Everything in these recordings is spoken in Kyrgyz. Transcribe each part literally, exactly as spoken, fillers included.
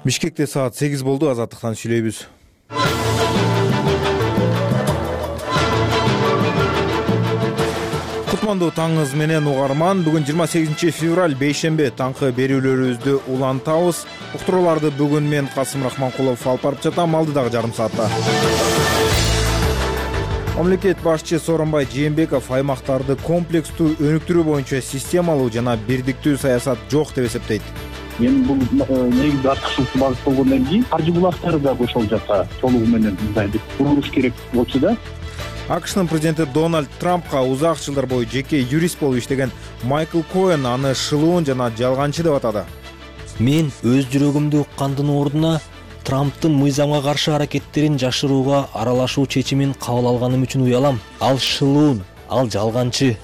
Бишкекте саат сегиз болду. Азаттыктан сүйлөйбүз. Кутмандуу таңыңыз менен угарман. Бүгүн жыйырма сегизинчи февраль бейшемби. Таңкы берүүлөрүбүздү улантабыз. Уктурууларды бүгүн мен Касым Рахманкулов алып барып жатам. Алдыдагы жарым саатта. Мамлекет башчы Сооронбай Жээнбеков аймактарды комплекстүү өнүктүрүү боюнча системалуу жана бирдиктүү саясат жок деп эсептейт. Эми бул негизи артыкчылыкты багыт болгондон кийин каржы булактары да бошолуп жатса толугу менен мындай деп курулуш керек болчу да. АКШнын президенти Дональд Трампка узак жылдар бою жеке юрист болуп иштеген Майкл Коэн аны шылуун жана жалганчы деп атады. Мен өз жүрөгүмдү уккандын ордуна Трамптын мыйзамга каршы аракеттерин жашырууга аралашуу чечимин кабыл алганым үчүн уялам. Ал шылуун, ал жалганчы.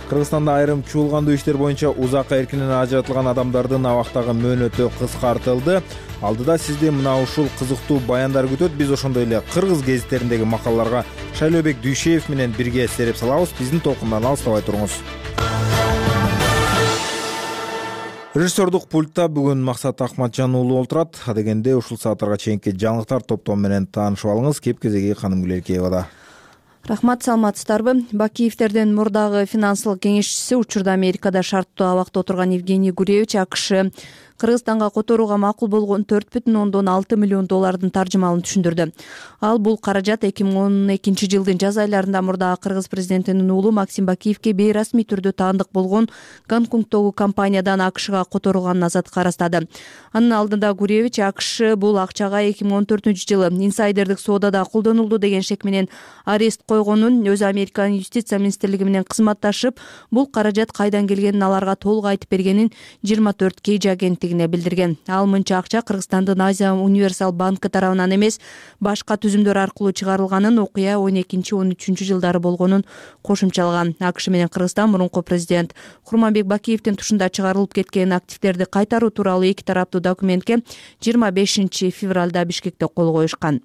Кыргызстанда айрым чуулгандуу иштер боюнча узакка эркинен ажыратылган адамдардын абактагы мөөнөтү кыскартылды. Алдыда сизди мына ушул кызыктуу баяндар күтөт. Биз ошондой эле кыргыз гезиттериндеги макалаларга Шайлообек Дүйшеев менен бирге сереп салабыз. Биздин толкундан алыстабай туруңуз. Режиссердук пультта бүгүн Максат Акматжан уулу олтурат. Адегенде ушул сааттарга чейинки жаңылыктар топтому менен таанышып алыңыз. Кеп-кезеги Ханым Гүлеркеевада. Рахмат, саламатсыздарбы? Бакиевтердин мурдагы финансылык кеңешчиси, учурда Америкада шарттуу абакта отурган Евгений Гуревич АКШ Кыргызстанга которууга макул болгон төрт бүтүн ондон алты миллион доллардын таржымалын түшүндүрдү. Ал бул каражат эки миң он экинчи жылдын жаз айларында мурдагы кыргыз президентинин уулу Максим Бакиевке бейрасмий түрдө таандык болгон Гонконгдогу компаниядан АКШга которулганын азат карастады. Анын алдында Гуревич АКШ бул акчага эки миң он төртүнчү жылы инсайдердик соодада колдонулду деген шек менен арест койгонун, өзү Американын юстиция министрлиги менен кызматташып, бул каражат кайдан келгенин аларга толук айтып бергенин жыйырма төрт Кейджи агенттиги билдирген. Ал мынча акча Кыргызстандын Азия Универсал банкы тарабынан эмес, башка түзүмдөр аркылуу чыгарылганын, окуя он экинчи он үчүнчү жылдары болгонун кошумчалаган. АКШ менен Кыргызстан мурунку президент Курманбек Бакиевдин тушунда чыгарылып кеткен активдерди кайтаруу тууралуу эки тараптуу документке жыйырма бешинчи февралда Бишкекте кол коюшкан.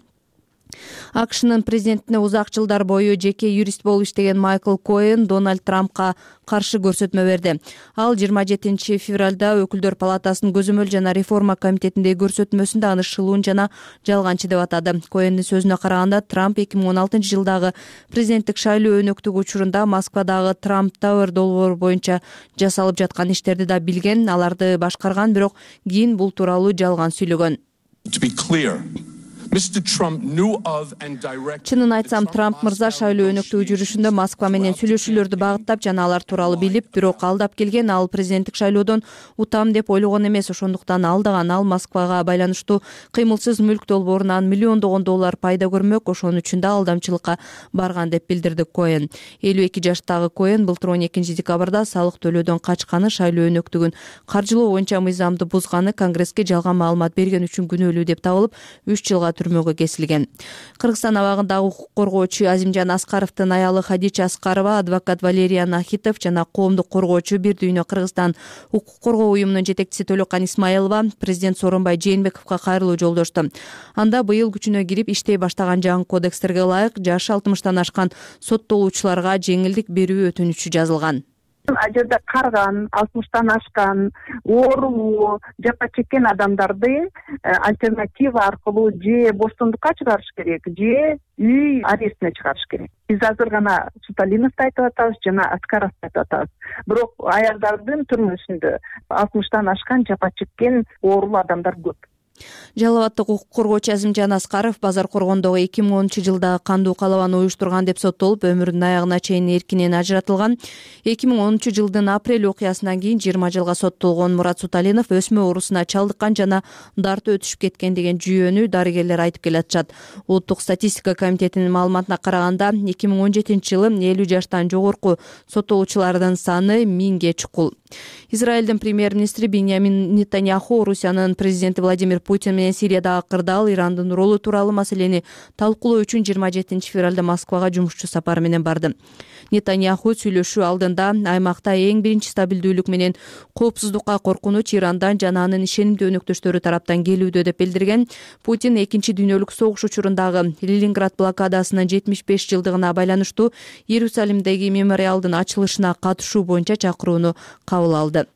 АКШнын президентине узак жылдар бою жеке юрист болуп иштеген Майкл Коэн Дональд Трампка каршы көрсөтмө берди. Ал жыйырма жетинчи февралда Өкүлдөр палатасынын көзөмөл жана реформа комитетиндеги көрсөтмөсүндө аны шылуун жана жалганчы деп атады. Коэндин сөзүнө караганда, Трамп эки миң он алтынчы жылдагы президенттик шайлоо өнөктүгү учурунда Москвадагы Трамп Тауэр долбоору боюнча жасалып жаткан иштерди да билген, аларды башкарган, бирок кийин бул тууралуу жалган сүйлөгөн. Чынын айтсам, Трамп мырза шайлоо өнөктүгү жүрүшүндө Москва менен сүйлөшүүлөрдү багыттап жана алар тууралуу билип, бирок алдап келген. Ал президенттик шайлоодон утам деп ойлогон эмес, ошондуктан алдаган. Ал Москвага байланыштуу кыймылсыз мүлк долбоорунан миллиондогон доллар пайда көрмөк, ошон үчүн да алдамчылыкка барган деп билдирди Коэн. элүү эки жаштагы Коэн былтыр он экинчи декабрда салык төлөөдөн качканы, шайлоо өнөктүгүн каржылоо боюнча мыйзамды бузганы, Конгресске жалган маалымат берген үчүн күнөөлүү деп табылып, үч жылга түрмөгө кесилген. Кыргызстан абагындагы укук коргоочу Азимжан Аскаровдун аялы Хадича Аскарова, адвокат Валерий Нахитов жана коомдук коргоочу Бир дүйнө Кыргызстан укук коргоо уюмунун жетекчиси Төлөкан Исмаилова президент Сооронбай Жээнбековго кайрылуу жолдошту. Анда быйыл күчүнө кирип иштей баштаган жаңы кодекстерге ылайык жашы алтымыштан ашкан соттолуучуларга жеңилдик берүү өтүнүчү жазылган. Ал жерде карган, алтымыштан ашкан, оорулуу, жапа чеккен адамдарды альтернатива аркылуу же боштондукка чыгарыш керек, же үй арестине чыгарыш керек. Биз азыр гана Суталиновду айтып атабыз жана Аскаровду айтып атабыз. Бирок аялдардын түрмөсүндө алтымыштан ашкан, жапа чеккен, оорулуу адамдар көп. Жалал абаддык укук коргоочу Азимжан Аскаров Базар Коргондогу эки миң онунчу жылдагы кандуу калабаны уюштурган деп соттолуп, өмүрүнүн аягына чейин эркинен ажыратылган. эки миң онунчу жылдын апрель окуясынан кийин жыйырма жылга соттолгон Мурат Суталинов өсмө оорусуна чалдыккан жана дарты өтүшүп кеткен деген жүйөнү дарыгерлер айтып келатышат. Улуттук статистика комитетинин маалыматына караганда, эки миң он жетинчи жылы элүү жаштан жогорку соттолуучулардын саны миңге чукул. Израилдин премьер-министри Биньямин Нетаньяху Орусиянын президенти Владимир Путин менен Сириядагы кырдаал, Ирандын ролу тууралуу маселени талкуулоо үчүн жыйырма жетинчи февралда Москвага жумушчу сапары менен барды. Нетаньяху сүйлөшүү алдында аймакта эң биринчи стабилдүүлүк менен коопсуздукка коркунуч Ирандан жана анын ишенимдүү өнөктөштөрү тараптан келүүдө деп билдирген. Путин экинчи дүйнөлүк согуш учурундагы Ленинград блокадасынын жетимиш беш жылдыгына байланыштуу Иерусалимдеги мемориалдын ачылышына катышуу боюнча чакырууну кабыл алды.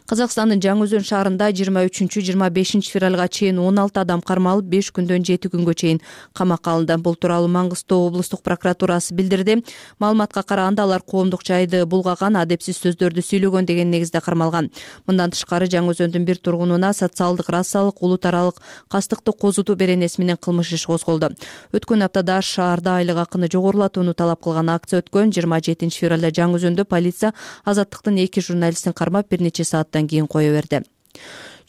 Казакстандын Жаңы Өзөн шаарында жыйырма үчүнчү жыйырма бешинчи февралга чейин он алты адам кармалып, беш күндөн жети күнгө чейин камакка алынды. Бул тууралуу Маңгыстоо облустук прокуратурасы билдирди. Маалыматка караганда алар коомдук жайды булгаган, адепсиз сөздөрдү сүйлөгөн деген негизде кармалган. Мындан тышкары Жаңы Өзөндүн бир тургунуна социалдык, расалык, улут аралык кастыкты козутуу беренеси менен кылмыш иш козголду. Өткөн аптада шаарда айлык акыны жогорулатууну талап кылган акция өткөн. жыйырма жетинчи февралда Жаңы Өзөндө полиция Азаттыктын эки журналистин кармап, бир нече сааттан кийин кое берди.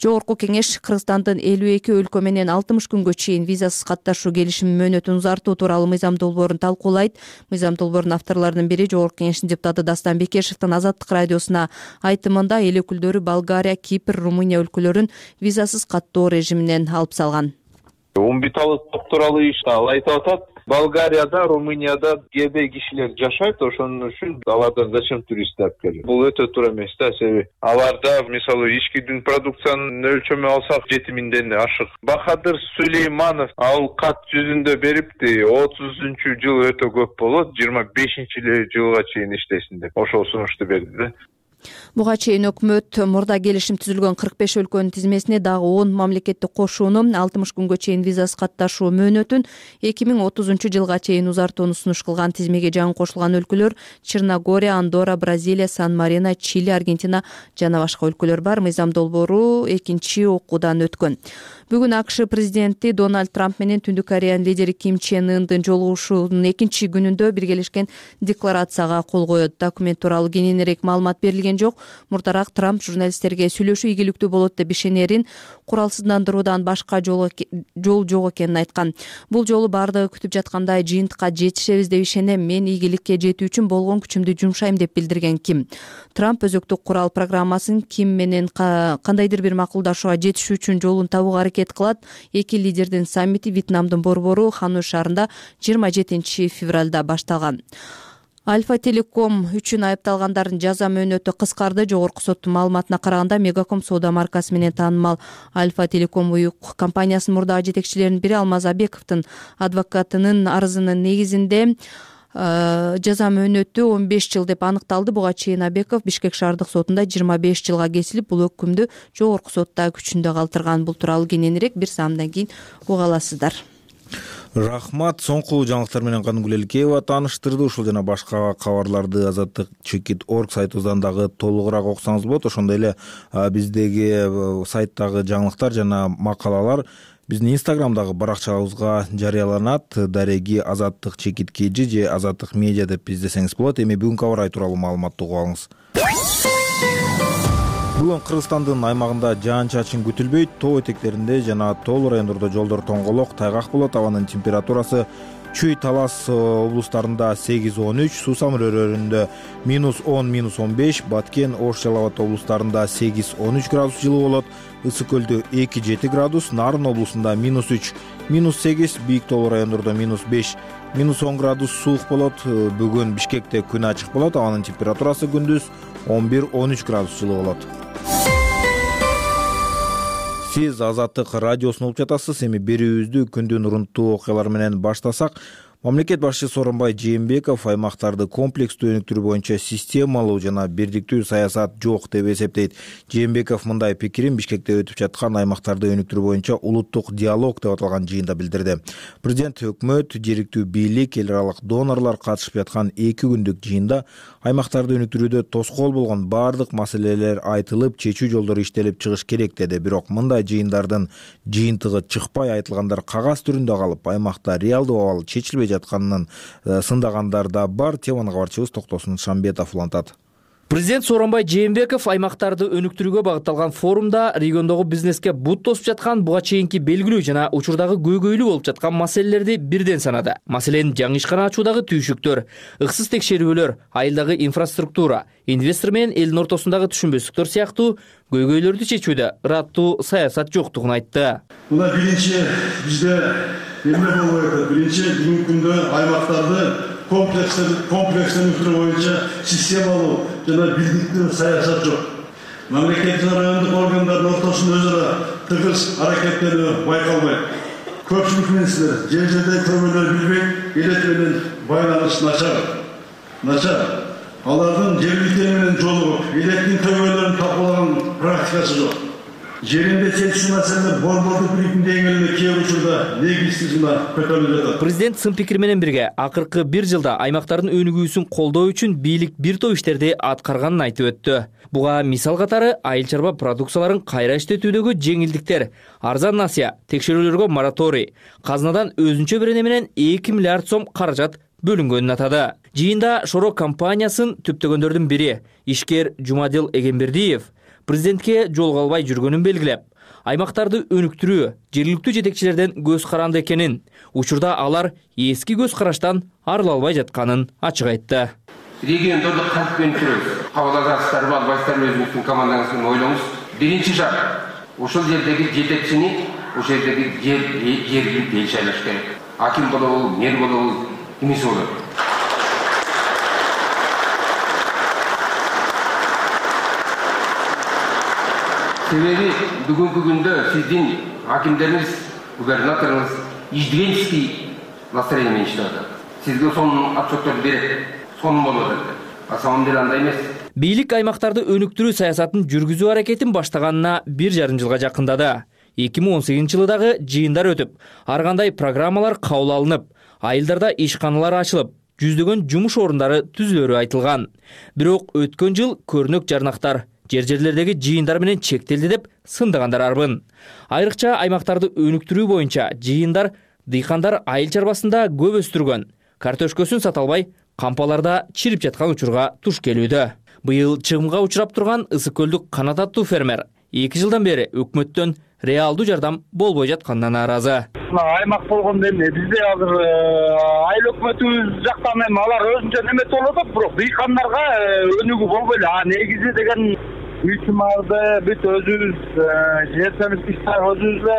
Жогорку кеңеш Кыргызстандын элүү эки өлкө менен алтымыш күнгө чейин визасыз катташуу келишими мөөнөтүн узартуу тууралуу мыйзам долбоорун талкуулайт. Мыйзам долбоорунун авторлорунун бири Жогорку кеңештин депутаты Дастан Бекешевдин Азаттык радиосуна айтымында эл өкүлдөрү Болгария, Кипр, Румыния өлкөлөрүн визасыз каттоо режиминен алып салган. Умбиталык тууралуу иш ал айтып атат. Болгарияда, Румынияда гебей кишилер жашайт, ошон үчүн алардан зачем турист алып келет? Бул өтө туура эмес да, себеби аларда мисалы ички дүң продукциянын өлчөмү алсак жети миңден ашык. Бахадыр Сулейманов ал кат жүзүндө берипти, отузунчу жыл өтө көп болот, жыйырма бешинчи жылга чейин иштесин деп ошол сунушту берди да. Буга чейин өкмөт мурда келишим түзүлгөн кырк беш өлкөнүн тизмесине дагы он мамлекетти кошууну, алтымыш күнгө чейин визасыз катташуу мөөнөтүн эки миң отузунчу жылга чейин узартууну сунуш кылган. Тизмеге жаңы кошулган өлкөлөр Черногория, Андорра, Бразилия, Сан-Марино, Чили, Аргентина жана башка өлкөлөр бар. Мыйзам долбоору экинчи окуудан өткөн. Бүгүн АКШ президенти Дональд Трамп менен Түндүк Кореянын лидери Ким Чен Ындын жолугушуунун экинчи күнүндө биргелешкен декларацияга кол коет. Документ тууралуу кененирээк маалымат берилген жок. Мурдараак Трамп журналисттерге сүйлөшүү ийгиликтүү болот деп ишенерин, куралсыздандыруудан башка жол жок экенин айткан. Бул жолу баардыгы күтүп жаткандай жыйынтыкка жетишебиз деп ишенем. Мен ийгиликке жетүү үчүн болгон күчүмдү жумшайм деп билдирген Ким. Трамп өзөктүк курал программасын Ким менен кандайдыр бир макулдашууга жетишүү үчүн жолун табууга аракет кылат. Эки лидердин саммити Вьетнамдын борбору Ханой шаарында жыйырма жетинчи февралда башталган. Альфа Телеком үчүн айыпталгандардын жаза мөөнөтү кыскарды. Жогорку соттун маалыматына караганда Мегаком соода маркасы менен таанымал Альфа Телеком уюк компаниясынын мурдагы жетекчилеринин бири Алмаз Абековдун адвокатынын арызынын негизинде жаза мөөнөтү он беш жыл деп аныкталды. Буга чейин Абеков Бишкек шаардык сотунда жыйырма беш жылга кесилип, бул өкүмдү жогорку сотта күчүндө калтырган. Бул тууралуу кененирээк бир саамдан кийин уга аласыздар. Рахмат. Соңку жаңылыктар менен Каныгүл Элкеева тааныштырды. Ушул жана башка кабарларды азаттык чекит точка орг сайтыбыздан дагы толугураак окусаңыз болот. Ошондой эле биздеги сайттагы жаңылыктар жана макалалар биздин инстаграмдагы баракчабызга жарыяланат. Дареги азаттык чекит кж же азаттык медиа деп издесеңиз болот. Эми бүгүнкү аба ырайы тууралуу маалыматты угуп алыңыз. Бүгүн Кыргызстандын аймагында жаан-чачын күтүлбөйт. Тоо этектеринде жана тоолуу райондордо жолдор тоңголок, тайгак болот. Абанын температурасы Чүй, Талас облустарында сегиз он үч, Суусамыр өрөөрүндө минус он минус он беш, Баткен, Ош, Жалал Абад облустарында сегиз он үч градус жылуу болот. Ысык көлдө эки жети градус, Нарын облусунда минус үч минус сегиз, бийик тоолуу райондордо минус беш минус он градус суук болот. Бүгүн Бишкекте күн ачык болот. Абанын температурасы күндүз он бир он үч градус жылуу болот. Сиз Азаттык радиосун угуп жатасыз. Эми берүүбүздү күндүн урунттуу окуялары менен баштасак, мамлекет башчысы Сооронбай Жээнбеков аймактарды комплекстүү өнүктүрүү боюнча системалуу жана бирдиктүү саясат жок деп эсептейт. Жээнбеков мындай пикирин Бишкекте өтүп жаткан аймактарды өнүктүрүү боюнча улуттук диалог деп аталган жыйында билдирди. Президент, өкмөт, жергиликтүү бийлик, эл аралык донорлор катышып жаткан эки күндүк жыйында аймактарды өнүктүрүүдө тоскоол болгон баардык маселелер айтылып, чечүү жолдору иштелип чыгыш керек деди. Бирок мындай жыйындардын жыйынтыгы чыкпай, айтылгандар кагаз түрүндө калып, аймакта реалдуу абал чечилбей жатканын сындагандар да бар. Теманы кабарчыбыз Токтосун Шамбетов улантат. Президент Сооронбай Жээнбеков аймактарды өнүктүрүүгө багытталган форумда региондогу бизнеске бут тосуп жаткан, буга чейинки белгилүү жана учурдагы көйгөйлүү болуп жаткан маселелерди бирден санады. Маселен, жаңы ишкана ачуудагы түйшүктөр, ыксыз текшерүүлөр, айылдагы инфраструктура, инвестор менен элдин ортосундагы түшүнбөстүктөр сыяктуу көйгөйлөрдү чечүүдө ыраттуу саясат жоктугун айтты. Мына биринчи бизде эмне болуп атат? Биринчи бүгүнкү күндө аймактарды комплекстенүү боюнча системалуу жана бирдиктүү саясат жок. Мамлекет жана райондук органдардын ортосунда өз ара тыгыз аракеттенүү байкалбайт. Көпчүлүк менсилер жер жерде көмөлөр билбейт, элек менен байланыш начар. Начар. Алардын жергиликтер менен жолугуп, электин көмөлөрүн тапалаган пайдасы жок. Жеринде чечүү маселелер борбордук бийликтин деңгээлинде кээ бир учурда негизсиз гана көтөрүлүп жатат. Президент сын пикир менен бирге акыркы бир жылда аймактардын өнүгүүсүн колдоо үчүн бийлик бир топ иштерди аткарганын айтып өттү. Буга мисал катары айыл чарба продукцияларын кайра иштетүүдөгү жеңилдиктер, арзан насыя, текшерүүлөргө мораторий, казынадан өзүнчө берене менен эки миллиард сом каражат бөлүнгөнүн атады. Жыйында Шоро компаниясын түптөгөндөрдүн бири ишкер Жумадил Эгембердиев президентке жолуга албай жүргөнүн белгилеп, аймактарды өнүктүрүү жергиликтүү жетекчилерден көз каранды экенин, учурда алар эски көз караштан арыла албай жатканын ачык айтты. Региондорду кантип өнүктүрөбүз? Кабыл аласыздарбы, албайсыздарбы, өзүңүздүн командаңыздын ойлоңуз. Биринчи шарт, ушул жердеги жетекчини ошол жердеги жер жергиликтүү эл шайлаш керек. Аким болобу, мэр болобу, кимиси болобу. Себеби бүгүнкү күндө сиздин акимдериңиз, губернаторуңуз иждивенческий настроение менен иштеп атат. Сизге сонун отчеттор берет, сонун болот эле. А самом деле андай эмес. Бийлик аймактарды өнүктүрүү саясатын жүргүзүү аракетин баштаганына бир жарым жылга жакындады. эки миң он сегизинчи жылы дагы жыйындар өтүп, ар кандай программалар кабыл алынып, айылдарда ишканалар ачылып, жүздөгөн жумуш орундары түзүлөрү айтылган. Бирок өткөн жыл көрнөк жарнактар жер-жерлердеги жыйындар менен чектелди деп сындыгандар арбын. Айрыкча аймактарды өнүктүрүү боюнча жыйындар дыйкандар айыл чарбасында көп өстүргөн, картошкөсүн сата албай, кампаларда чирип жаткан учурга туш келүүдө. Быйыл чыгымга учурап турган Ысык көлдүк Канат аттуу фермер эки жылдан бери өкмөттөн реалдуу жардам болбой жатканына нааразы. Аймак болгондо эмне бизде азыр айыл өкмөтүбүз жактан эми алар өзүнчө неметип болуп атат, бирок дыйкандарга өнүгүү болбой эле. А негизи деген үй чымарды бүт өзүбүз жертемиз иштеп өзүбүз эле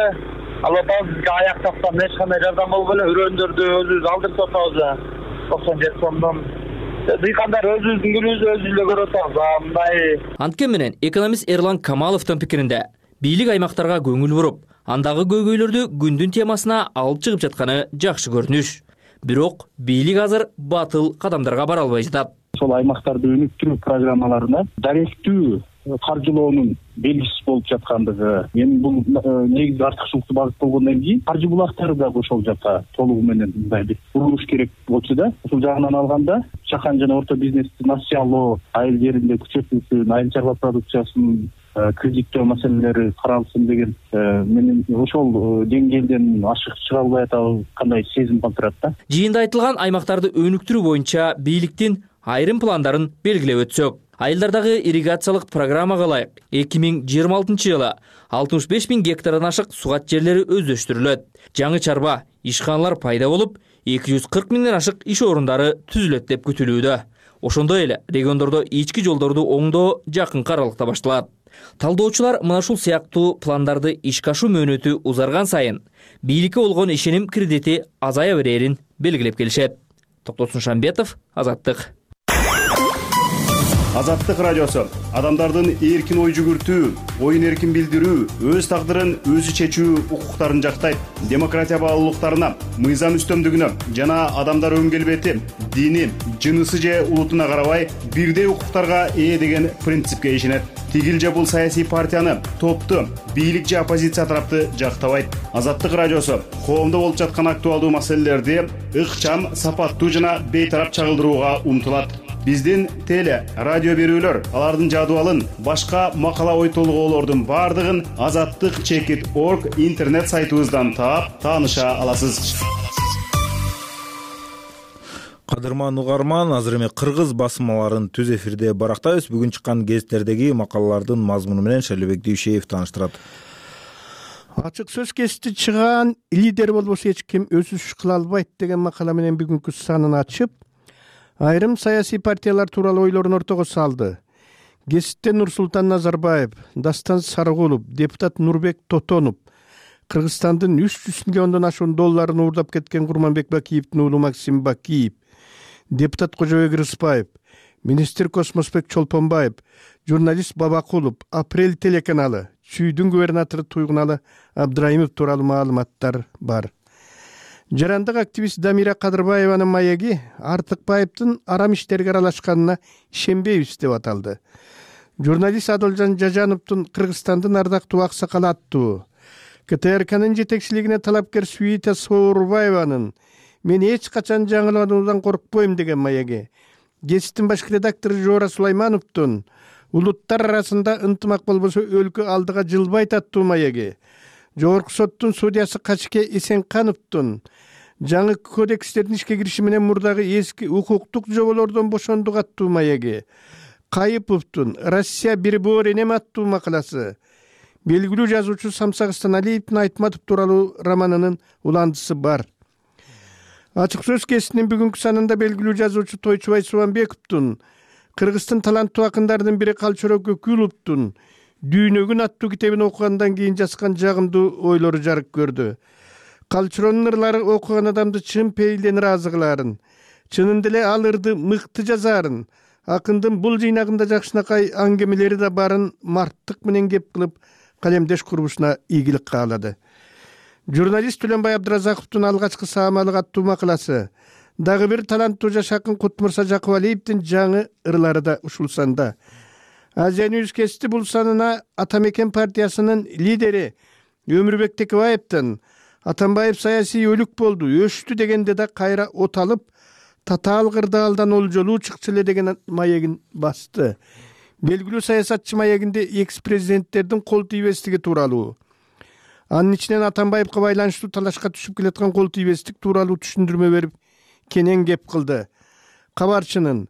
алып атабыз. Бизге аяк тактан эч кандай жардам болбой эле үрөндөрдү өзүбүз алдырып атабыз. токсон жети сомдон дыйкандар өзүбүздүн күнүбүздү өзүбүз эле көрүп атабыз. Мындай Анткени менен экономист Эрлан Камаловдун пикиринде бийлик аймактарга көңүл буруп, андагы көйгөйлөрдү күндүн темасына алып чыгып жатканы жакшы көрүнүш. Бирок бийлик азыр батыл кадамдарга бара албай жатат. Ошол аймактарды өнүктүрүү программаларына даректүү каржылоонун белгисиз болуп жаткандыгы, эми бул негизи артыкчылыктуу багыт болгондон кийин каржы булактары дагы ошол жака толугу менен мындай бир курулуш керек болчу да. Ушул жагынан алганда чакан жана орто бизнести насыялоо, айыл жеринде күчөтүлсүн, айыл чарба продукциясын кредиттөө маселелери каралсын деген менен ошол деңгээлден ашык чыга албай атабыз, кандай сезим калтырат да. Жыйында айтылган аймактарды өнүктүрүү боюнча бийликтин айрым пландарын белгилеп өтсөк, айылдардагы ирригациялык программага ылайык эки миң жыйырма алтынчы жылы алтымыш беш миң гектардан ашык сугат жерлери өздөштүрүлөт. Жаңы чарба ишканалар пайда болуп, эки жүз кырк миңден ашык иш орундары түзүлөт деп күтүлүүдө. Ошондой эле региондордо ички жолдорду оңдоо жакынкы аралыкта башталат. Талдоочулар мына ушул сыяктуу пландарды ишке ашуу мөөнөтү узарган сайын бийликке болгон ишеним кредити азая берерин белгилеп келишет. Токтосун Шамбетов, Азаттык. Азаттык радиосу адамдардын эркин ой жүгүртүү, оюн эркин билдирүү, өз тагдырын өзү чечүү укуктарын жактайт. Демократия баалуулуктарына, мыйзам үстөмдүгүнө жана адамдар өн келбети, дини, жынысы же улутуна карабай бирдей укуктарга ээ деген принципке ишенет. Тигил же бул саясий партияны, топту, бийлик же оппозиция тарапты жактабайт. Азаттык радиосу коомдо болуп жаткан актуалдуу маселелерди ыкчам, сапаттуу жана бейтарап чагылдырууга умтулат. Биздин теле, радио берүүлөр, алардын жадыбалын, башка макала ой толгоолордун бардыгын азаттык чекит точка орг интернет сайтыбыздан таап, тааныша аласыз. Кадырман угарман, азыр эми кыргыз басмаларын түз эфирде барактайбыз. Бүгүн чыккан гезиттердеги макалалардын мазмуну менен Шайлебек Дүйшеев тааныштырат. Ачык сөз кести чыган лидер болбосо эч ким өзү иш кыла албайт деген макала менен бүгүнкү санын ачып, айрым саясий партиялар тууралуу ойлорун ортого салды. Гезитте Нурсултан Назарбаев, Дастан Сарыгулов, депутат Нурбек Тотонов, Кыргызстандын үч жүз миллиондон ашуун долларын уурдап кеткен Курманбек Бакиевдин уулу Максим Бакиев, депутат Кожобек Рыспаев, министр Космосбек Чолпонбаев, журналист Бабакулов, Апрель телеканалы, Чүйдүн губернатору Туйгуналы Абдраимов тууралуу маалыматтар бар. Жарандык активист Дамира Кадырбаеванын маеги Артыкбаевдин арам иштерге аралашканына ишенбейбиз деп аталды. Журналист Адылжан Жажановдун Кыргызстандын ардактуу аксакалы аттуу КТРКнын жетекчилигине талапкер Свита Соорбаеванын «Мен эч качан жаңылануудан коркпойм» деген маеги, гезиттин баш редактору Жоора Сулаймановдун «Улуттар арасында ынтымак болбосо өлкө алдыга жылбайт» аттуу маеги, Жогорку соттун судьясы Качке Эсенкановдун жаңы кодекстердин ишке кириши менен мурдагы эски укуктук жоболордон бошондук аттуу маеги, Кайыповдун «Россия бир боор энем» аттуу макаласы, белгилүү жазуучу Самсак Станалиевдин Айтматов тууралуу романынын уландысы бар. Ачык сөз кесинин бүгүнкү санында белгилүү жазуучу Тойчубай Субанбековдун Кыргыздын таланттуу акындарынын бири Калчоро Көкүловдун «Дүйнөгүн» аттуу китебин окугандан кийин жазган жагымдуу ойлору жарык көрдү. Калчоронун ырлары окуган адамды чын пейилден ыраазы кылаарын, чынында эле ал ырды мыкты жазаарын, акындын бул жыйнагында жакшынакай аңгемелери да барын марттык менен кеп кылып калемдеш курбушуна ийгилик каалады. Журналист Түлөнбай Абдыразаковдун «Алгачкы саамалык» аттуу макаласы, дагы бир таланттуу жаш акын Кутмурса Жакыбалиевдин жаңы ырлары да ушул санда. Азия Ньюс кести бул санына Атамекен партиясынын лидери Өмүрбек Текебаевдин «Атамбаев саясий өлүк болду, өштү» дегенде да кайра от алып, татаал кырдаалдан олжолуу чыкчу эле деген маегин басты. Белгилүү саясатчы маегинде экс-президенттердин кол тийбестиги тууралуу, анын ичинен Атамбаевка байланыштуу талашка түшүп келаткан кол тийбестик тууралуу түшүндүрмө берип кенен кеп кылды. Кабарчынын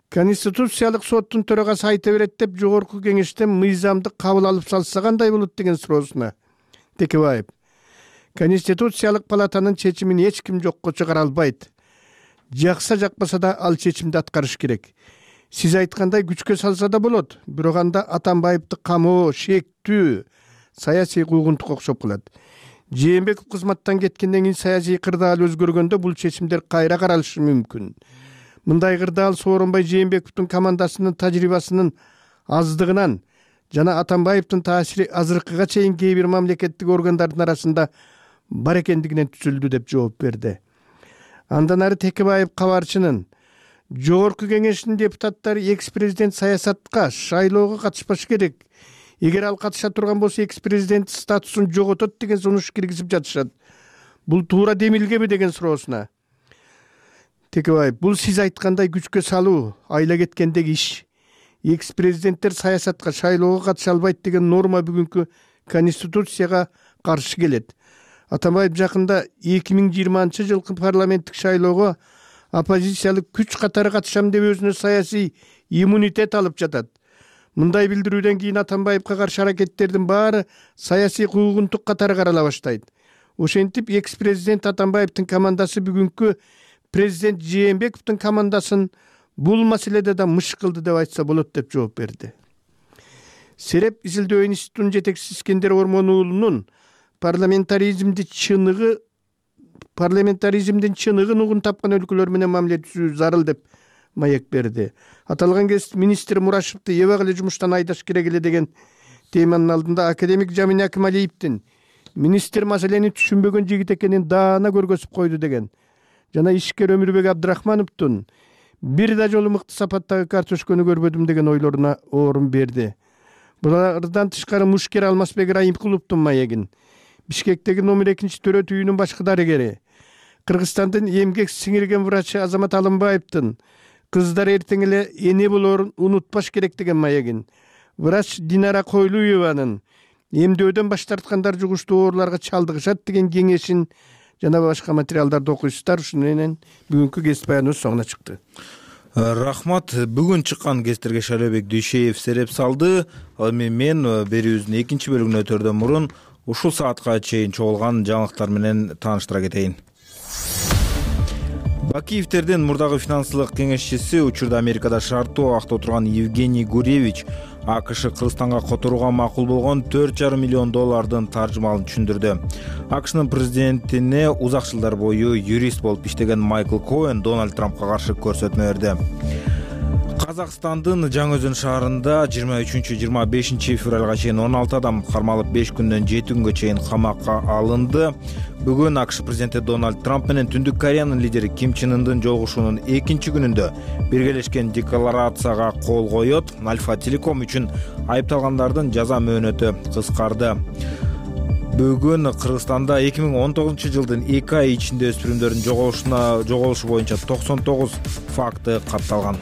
Конституциялык соттун төрагасы айта берет деп жогорку кеңештен мыйзамды кабыл алып салса кандай болот деген суроосуна Текебаев: Конституциялык палатанын чечимин эч ким жокко чыгара албайт. Жакса жакпаса да ал чечимди аткарыш керек. Сиз айткандай күчкө салса да болот, бирок анда Атамбаевди камоо, шектүү, саясий куугунтукка окшоп калат. Жээнбеков кызматтан кеткенден кийин саясий кырдаал өзгөргөндө бул чечимдер кайра каралышы мүмкүн. Мындай кырдаал Сооронбай Жээнбековдун командасынын тажрыйбасынын аздыгынан жана Атамбаевдин таасири азыркыга чейин кээ бир мамлекеттик органдардын арасында бар экендигинен түзүлдү деп жооп берди. Андан ары Текебаев кабарчынын жогорку кеңештин депутаттары экс-президент саясатка, шайлоого катышпаш керек. Эгер ал катыша турган болсо экс-президент статусун жоготот деген сунуш киргизип жатышат. Бул туура демилгеби деген суроосуна Текебаев: бул сиз айткандай күчкө салуу, айла кеткендеги иш. Экс-президенттер саясатка, шайлоого катыша албайт деген норма бүгүнкү Конституцияга каршы келет. Атамбаев жакында эки миң жыйырманчы жылкы парламенттик шайлоого оппозициялык күч катары катышам деп өзүнө саясий иммунитет алып жатат. Мындай билдирүүдөн кийин Атамбаевка каршы аракеттердин баары саясий куугунтук катары карала баштайт. Ошентип экс-президент Атамбаевдин командасы бүгүнкү президент Жээнбековдун командасын бул маселеде да мышкылды деп айтса болот деп жооп берди. Сереп изилдөө институтунун жетекчиси Искендер Ормон уулунун парламентаризмди чыныгы парламентаризмдин чыныгын угун тапкан өлкөлөр менен мамиле түзүү зарыл деп маек берди. Аталган кез министр Мурашевди эбак эле жумуштан айдаш керек эле деген теманын алдында академик Жамин Акималиевдин министр маселени түшүнбөгөн жигит экенин даана көргөзүп койду деген жана ишкер Өмүрбек Абдрахмановдун бир да жолу мыкты сапаттагы картошканы көрбөдүм деген ойлоруна орун берди. Булардан тышкары Мушкер Алмазбек Райымкуловдун маегин, Бишкектеги номер экинчи төрөт үйүнүн башкы дарыгери, Кыргызстандын эмгек сиңирген врачы Азамат Алымбаевдин кыздар эртең эле эне болоорун унутпаш керек деген маегин, врач Динара Койлуеванын эмдөөдөн баш тарткандар жугуштуу ооруларга чалдыгышат деген кеңешин жана башка материалдарды окуйсуздар. Ушуну менен бүгүнкү кесип баяныбыз соңуна чыкты. Рахмат. Бүгүн чыккан кесиптерге Шайлообек Дүйшеев сереп салды. Ал эми мен берүүбүздүн экинчи бөлүгүнө өтөрдөн мурун ушул саатка чейин чогулган жаңылыктар менен тааныштыра кетейин. Бакиевтердин мурдагы финансылык кеңешчиси, учурда Америкада шарттуу абакта отурган Евгений Гуревич АКШ Кыргызстанга которууга макул болгон төрт жарым миллион доллардын таржымалын түшүндүрдү. АКШнын президентине узак жылдар бою юрист болуп иштеген Майкл Коэн Дональд Трампка каршы көрсөтмө берди. Казакстандын Жаңы Өзөн шаарында жыйырма үчүнчү жыйырма бешинчи февралга чейин он алты адам кармалып беш күндөн жети күнгө чейин камакка алынды. Бүгүн АКШ президенти Дональд Трамп менен Түндүк Кореянын лидери Ким Чен Ындын жолугушуунун экинчи күнүндө биргелешкен декларацияга кол коет. Альфа Телеком үчүн айыпталгандардын жаза мөөнөтү кыскарды. Бүгүн Кыргызстанда эки миң он тогузунчу жылдын эки ай ичинде өспүрүмдөрдүн жоголушуна жоголушу боюнча токсон тогуз факты катталган.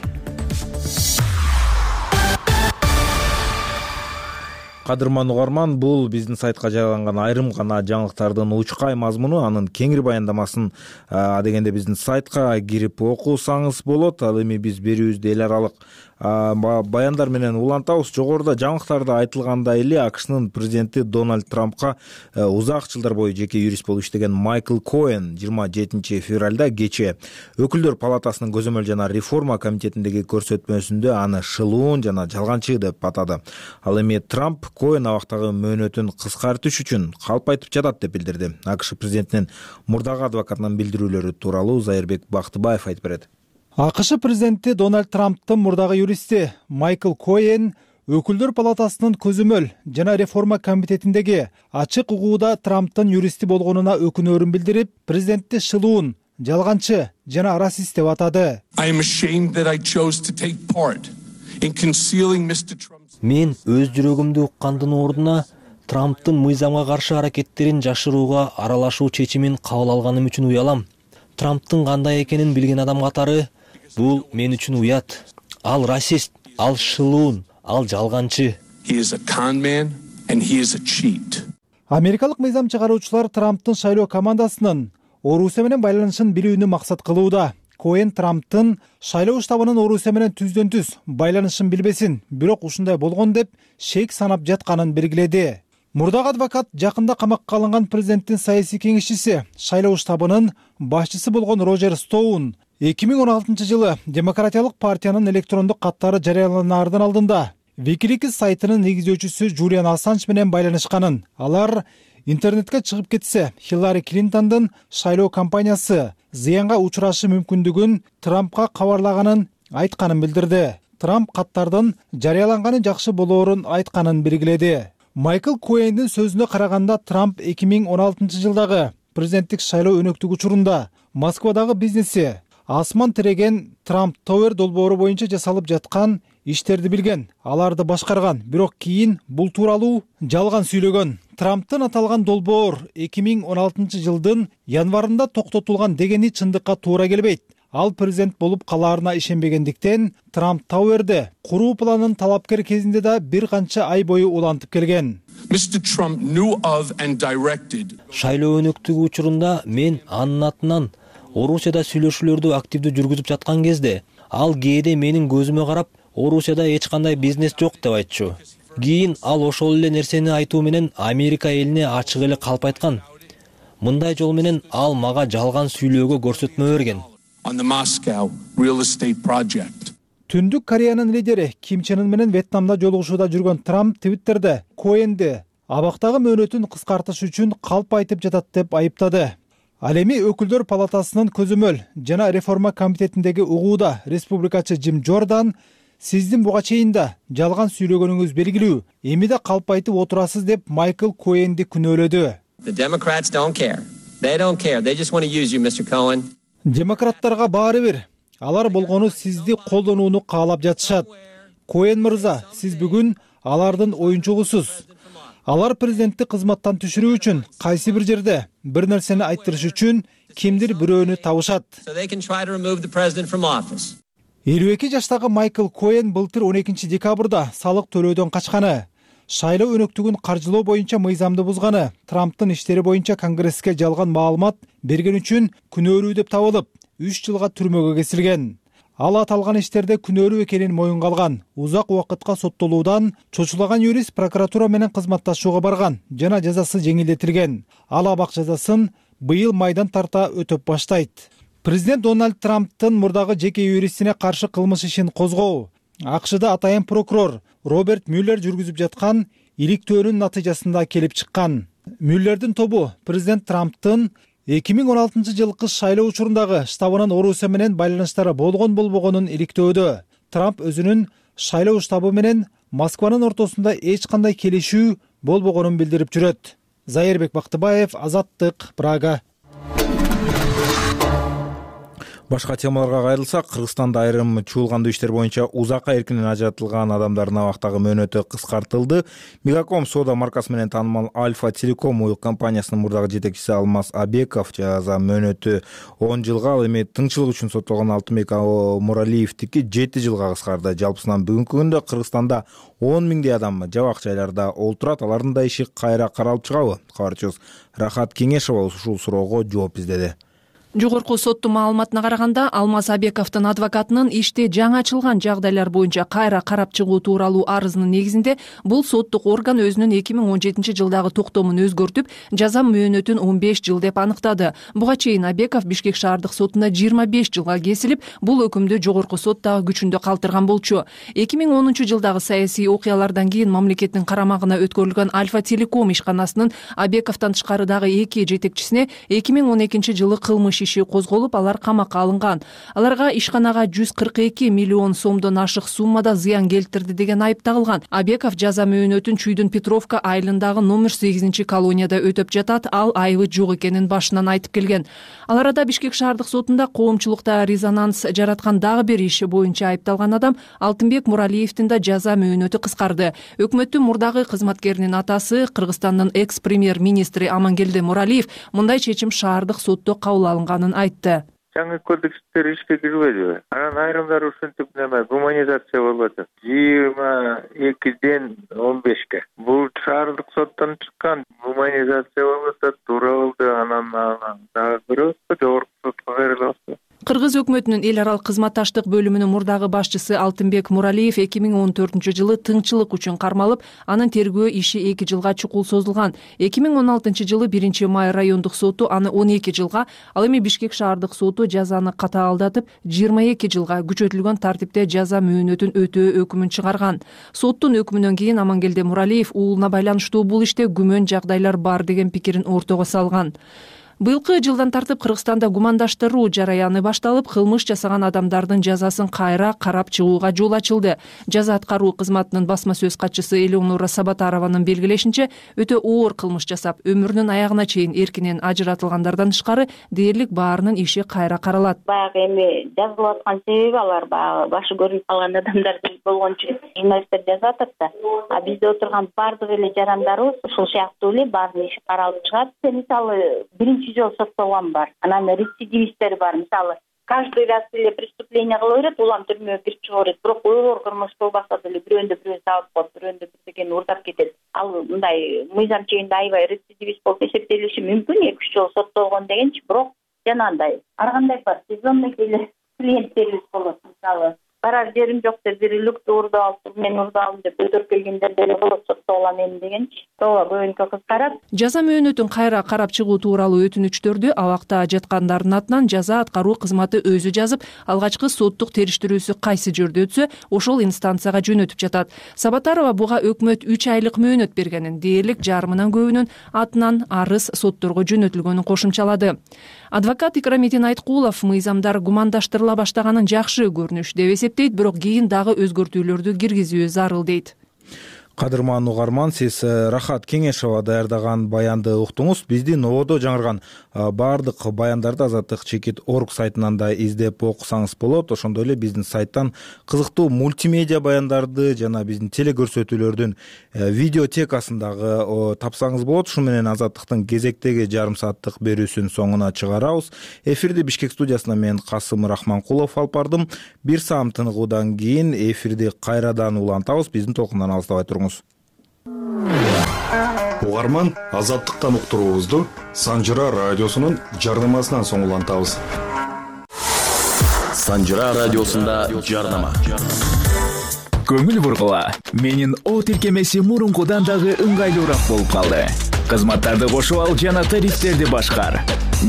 Кадырман угарман, бул биздин сайтка жарыяланган айрым гана жаңылыктардын учкай мазмуну. Анын кеңири баяндамасын адегенде биздин сайтка кирип окусаңыз болот. Ал эми биз берүүбүздү эл аралык баяндар менен улантабыз. Жогоруда жаңылыктарда айтылгандай эле АКШнын президенти Дональд Трампка узак жылдар бою жеке юрист болуп иштеген Майкл Коэн жыйырма жетинчи февралда кечээ Өкүлдөр палатасынын көзөмөл жана реформа комитетиндеги көрсөтмөсүндө аны шылуун жана жалганчы деп атады. Ал эми Трамп Коэн абактагы мөөнөтүн кыскартыш үчүн калп айтып жатат деп билдирди. АКШ президентинин мурдагы адвокатынын билдирүүлөрү тууралуу Зайырбек Бактыбаев айтып берет. АКШ президенти Дональд Трамптын мурдагы юристи Майкл Коэн Өкүлдөр палатасынын көзөмөл жана реформа комитетиндеги ачык угууда Трамптын юристи болгонуна өкүнөөрүн билдирип, президентти шылуун, жалганчы жана расист деп атады. Мен өз жүрөгүмдү уккандын ордуна Трамптын мыйзамга каршы аракеттерин жашырууга аралашуу чечимин кабыл алганым үчүн уялам. Трамптын кандай экенин билген адам катары бул мен үчүн уят. Ал расист, ал шылуун, ал жалганчы. Америкалык мыйзам чыгаруучулар Трамптын шайлоо командасынын Орусия менен байланышын билүүнү максат кылууда. Коэн Трамптын шайлоо штабынын Орусия менен түздөн түз байланышын билбесин, бирок ушундай болгон деп шек санап жатканын белгиледи. Мурдагы адвокат жакында камакка алынган президенттин саясий кеңешчиси, шайлоо штабынын башчысы болгон Рожер Стоун эки миң он алтынчы жылы Демократиялык партиянын электрондук каттары жарыяланаардын алдында Wikileaks сайтынын негиздөөчүсү Джулиан Ассанж менен байланышканын, алар интернетке чыгып кетсе, Хиллари Клинтондун шайлоо кампаниясы зыянга учурашы мүмкүндүгүн Трампка кабарлаганын айтканын билдирди. Трамп каттардын жарыяланганы жакшы болоорун айтканын белгиледи. Майкл Коэндин сөзүнө караганда, Трамп эки миң он алтынчы жылдагы президенттик шайлоо өнөктүк учурунда Москвадагы бизнеси асман тиреген Трамп Тауэр долбоору боюнча жасалып жаткан иштерди билген, аларды башкарган, бирок кийин бул тууралуу жалган сүйлөгөн. Трамптын аталган долбоор эки миң он алтынчы жылдын январында токтотулган дегени чындыкка туура келбейт. Ал президент болуп калаарына ишенбегендиктен Трамп Тауэрди куруу планын талапкер кезинде да бир канча ай бою улантып келген. Шайлоо өнөктүгү учурунда мен анын атынан Орусияда сүйлөшүүлөрдү активдүү жүргүзүп жаткан кезде, ал кээде менин көзүмө карап, Орусияда эч кандай бизнес жок деп айтчу. Кийин ал ошол эле нерсени айтуу менен Америка элине ачык эле калп айткан. Мындай жол менен ал мага жалган сүйлөөгө көрсөтмө берген. Түндүк Кореянын лидери Ким Чен Ын менен Вьетнамда жолугушууда жүргөн Трамп Твиттерде Коэнди абактагы мөөнөтүн кыскартыш үчүн калп айтып жатат деп айыптады. Ал эми Өкүлдөр палатасынын көзөмөл жана реформа комитетиндеги угууда республикачы Джим Джордан сиздин буга чейин да жалган сүйлөгөнүңүз белгилүү, эми да калп айтып отурасыз деп Майкл Коэнди күнөөлөдү. Демократтарга баары бир, алар болгону сизди колдонууну каалап жатышат. Коэн мырза, сиз бүгүн алардын оюнчугусуз. Алар президентти кызматтан түшүрүү үчүн кайсы бир жерде бир нерсени айттырыш үчүн кимдир бирөөнү табышат. элүү эки жаштагы Майкл Коэн былтыр он экинчи декабрда салык төлөөдөн качканы, шайлоо өнөктүгүн каржылоо боюнча мыйзамды бузганы, Трамптын иштери боюнча Конгресске жалган маалымат берген үчүн күнөөлүү деп табылып, үч жылга түрмөгө кесилген. Ал аталган иштерде күнөөлүү экенин моюнга алган. Узак убакытка соттолуудан чочулаган юрист прокуратура менен кызматташууга барган жана жазасы жеңилдетилген. Ал абак жазасын быйыл майдан тарта өтөп баштайт. Президент Дональд Трамптын мурдагы жеке юристине каршы кылмыш ишин козгоо АКШда атайын прокурор Роберт Мюллер жүргүзүп жаткан иликтөөнүн натыйжасында келип чыккан. Мюллердин тобу президент Трамптын эки миң он алтынчы жылкы шайлоо учурундагы штабынын Орусия менен байланыштары болгон болбогонун иликтөөдө. Трамп өзүнүн шайлоо штабы менен Москванын ортосунда эч кандай келишүү болбогонун билдирип жүрөт. Зайырбек Бактыбаев, Азаттык, Прага. Башка темаларга кайрылсак, Кыргызстанда айрым чуулгандуу иштер боюнча узакка эркинен ажыратылган адамдардын абактагы мөөнөтү кыскартылды. Мегаком соода маркасы менен таанымал Альфа Телеком уюк компаниясынын мурдагы жетекчиси Алмаз Абеков жаза мөөнөтү он жылга, ал эми тыңчылык үчүн соттолгон Алтынбек Муралиевдики жети жылга кыскарды. Жалпысынан бүгүнкү күндө Кыргызстанда он миңдей адам жабак жайларда олтурат. Алардын да иши кайра каралып чыгабы? Кабарчыбыз Рахат Кеңешова ушул суроого жооп издеди. Жогорку соттун маалыматына караганда, Алмаз Абековдун адвокатынын иште жаңы ачылган жагдайлар боюнча кайра карап чыгуу тууралуу арызынын негизинде бул соттук орган өзүнүн эки миң он жетинчи жылдагы токтомун өзгөртүп, жаза мөөнөтүн он беш жыл деп аныктады. Буга чейин Абеков Бишкек шаардык сотунда жыйырма беш жылга кесилип, бул өкүмдү жогорку сот дагы күчүндө калтырган болчу. эки миң онунчу жылдагы саясий окуялардан кийин мамлекеттин карамагына өткөрүлгөн Альфа Телеком ишканасынын Абековдон тышкары дагы эки жетекчисине эки миң он экинчи жылы кылмыш иши козголуп, алар камакка алынган. Аларга ишканага жүз кырк эки миллион сомдон ашык суммада зыян келтирди деген айып тагылган. Абеков жаза мөөнөтүн Чүйдүн Петровка айылындагы номер сегизинчи колонияда өтөп жатат. Ал айыбы жок экенин башынан айтып келген. Ал арада Бишкек шаардык сотунда коомчулукта резонанс жараткан дагы бир иши боюнча айыпталган адам Алтынбек Муралиевдин да жаза мөөнөтү кыскарды. Өкмөттүн мурдагы кызматкеринин атасы, Кыргызстандын экс-премьер-министри Амангелди Муралиев мындай чечим шаардык сотто кабыл алынганын айтты. Жаңы кодекстер ишке кирбедиби? Анан айрымдары ушинтип неме гуманизация болуп атат. жыйырма экиден он бешке. Бул шаардык соттон чыккан гуманизация болуп атат, туура болду. Анан дагы көрөбүзбү, жогорку сотко берилип. Кыргыз өкмөтүнүн эл аралык кызматташтык бөлүмүнүн мурдагы башчысы Алтынбек Муралиев эки миң он төртүнчү жылы тыңчылык үчүн кармалып, анын тергөө иши эки жылга чукул созулган. эки миң он алтынчы жылы биринчи май райондук соту аны он эки жылга, ал эми Бишкек шаардык соту жазаны катаалдатып жыйырма эки жылга күчөтүлгөн тартипте жаза мөөнөтүн өтөө өкүмүн чыгарган. Соттун өкүмүнөн кийин Амангелди Муралиев уулуна байланыштуу бул иште күмөн жагдайлар бар деген пикирин ортого салган. Быйылкы жылдан тартып Кыргызстанда гумандаштыруу жараяны башталып, кылмыш жасаган адамдардын жазасын кайра карап чыгууга жол ачылды. Жаза аткаруу кызматынын басма сөз катчысы Элеонора Сабатарованын белгилешинче, өтө оор кылмыш жасап, өмүрүнүн аягына чейин эркинен ажыратылгандардан тышкары дээрлик баарынын иши кайра каралат. Баягы эми жазылып аткан себеби алар баягы башы көрүнүп калган адамдар болгончу журналисттер жазып атат да. А бизде отурган баардык эле жарандарыбыз ушул сыяктуу эле баарынын иши каралып чыгат. Мисалы биринчи жол соттолгон бар. Анан рецидивисттер бар. Мисалы, каждый раз эле преступление кыла берет, улам түрмөгө кирип чыга берет. Бирок оор кылмыш болбаса деле бирөөндө бирөө сабап коет, бирөөндө бирдекени уурдап кетет. Ал мындай мыйзам чегинде аябай рецидивист болуп эсептелиши мүмкүн, эки үч жол соттолгон дегенчи, бирок жанагындай ар кандай бар сезонный эле клиенттерибиз болот. Мисалы, барар жерим жок деп бир люкты уурдап алып, мен уурдалдым деп өтөрүп келгендер деле болот, соттолгон эми дегенчи. Ооба, көбүнкү кыздарат. Жаза мөөнөтүн кайра карап чыгуу тууралуу өтүнүчтөрдү абакта жаткандардын атынан жаза аткаруу кызматы өзү жазып, алгачкы соттук териштирүүсү кайсы жерде өтсө, ошол инстанцияга жөнөтүп жатат. Сабатарова буга өкмөт үч айлык мөөнөт бергенин, дээрлик жарымынан көбүнүн атынан арыз сотторго жөнөтүлгөнүн кошумчалады. Адвокат Икрамидин Айткулов мыйзамдар гумандаштырыла баштаганын жакшы көрүнүш деп эсептейт, бирок кийин дагы өзгөртүүлөрдү киргизүү зарыл дейт. Кадырман угарман, сиз Рахат Кеңешова даярдаган баянды уктуңуз. Биздин ободо жаңырган баардык баяндарды Азаттык чекит орг сайтынан да издеп окусаңыз болот. Ошондой эле биздин сайттан кызыктуу мультимедиа баяндарды жана биздин телекөрсөтүүлөрдүн видеотекасын дагы тапсаңыз болот. Ушу менен Азаттыктын кезектеги жарым сааттык берүүсүн соңуна чыгарабыз. Эфирди Бишкек студиясынан мен Касым Рахманкулов алып бардым. Бир саам тыныгуудан кийин эфирди кайрадан улантабыз. Биздин толкундан алыстабай туруңуз. Угарман, Азаттыктан уктуруубузду Санжыра радиосунун жардамасынан соң улантабыз. Санжыра радиосунда жардама. Көңүл бургула. Менин о тиркемеси мурункудан дагы ыңгайлуураак болуп калды. Кызматтарды кошуп ал жана тарифтерди башкар.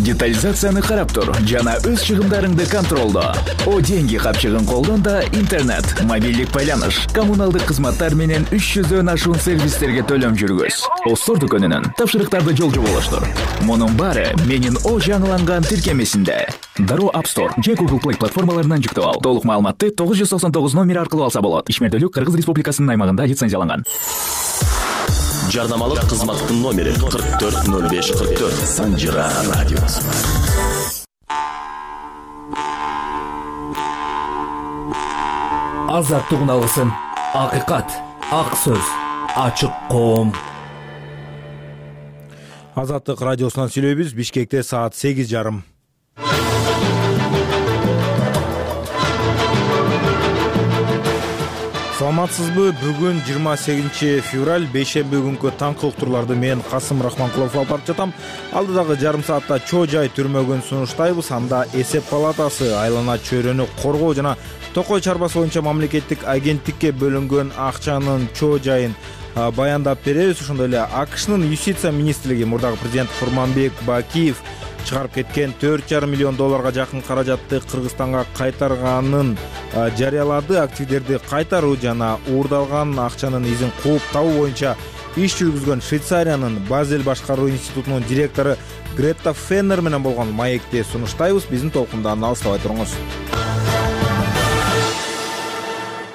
Детализацияны карап тур жана өз чыгымдарыңды контролдо. О деньги капчыгын колдон да интернет, мобилдик байланыш, коммуналдык кызматтар менен үч жүздөн ашуун сервистерге төлөм жүргүз. Остор дүкөнүнүн тапшырыктарды жолжоболоштур. Мунун баары менин О жаңыланган тиркемесинде. Дароо App Store же Google Play платформаларынан жүктөп ал. Толук маалыматты тогуз жүз токсон тогуз номери аркылуу алса болот. Ишмердүүлүк Кыргыз Республикасынын аймагында лицензияланган. Жарнамалык кызматтын номери кырк төрт ноль беш кырк төрт. Санжира радиосу. Азаттык алгысын, акыйкат, ак сөз, ачык коом. Азаттык радиосунан сүйлөйбүз. Бишкекте саат сегиз жарым. Саламатсызбы? Бүгүн жыйырма сегизинчи февраль, бейшемби күнкү таңкы уктурларды мен Касым Рахманкулов алып барып жатам. Алдыдагы жарым саатта чоо жай түрмөгүн сунуштайбыз. Анда эсеп палатасы айлана чөйрөнү коргоо жана Токой чарбасы боюнча мамлекеттик агенттикке бөлүнгөн акчанын чоо жайын баяндап беребиз. Ошондой эле АКШнын юстиция министрлиги мурдагы президент Курманбек Бакиев чыгарып кеткен төрт жарым миллион долларга жакын каражатты Кыргызстанга кайтарганын жарыялады. Активдерди кайтаруу жана уурдалган акчанын изин кууп табуу боюнча иш жүргүзгөн Швейцариянын Базель башкаруу институтунун директору Гретта Феннер менен болгон маекти сунуштайбыз. Биздин толкундан алыстабай туруңуз.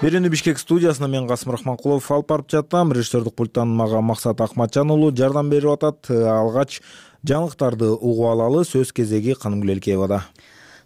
Берүүнү Бишкек студиясына мен Касым Рахманкулов алып барып жатам. Режиссердик пульттан мага Максат Акматжан уулу жардам берип атат. Алгач жаңылыктарды угуп алалы. Сөз кезеги Канымгүл Элкеевада.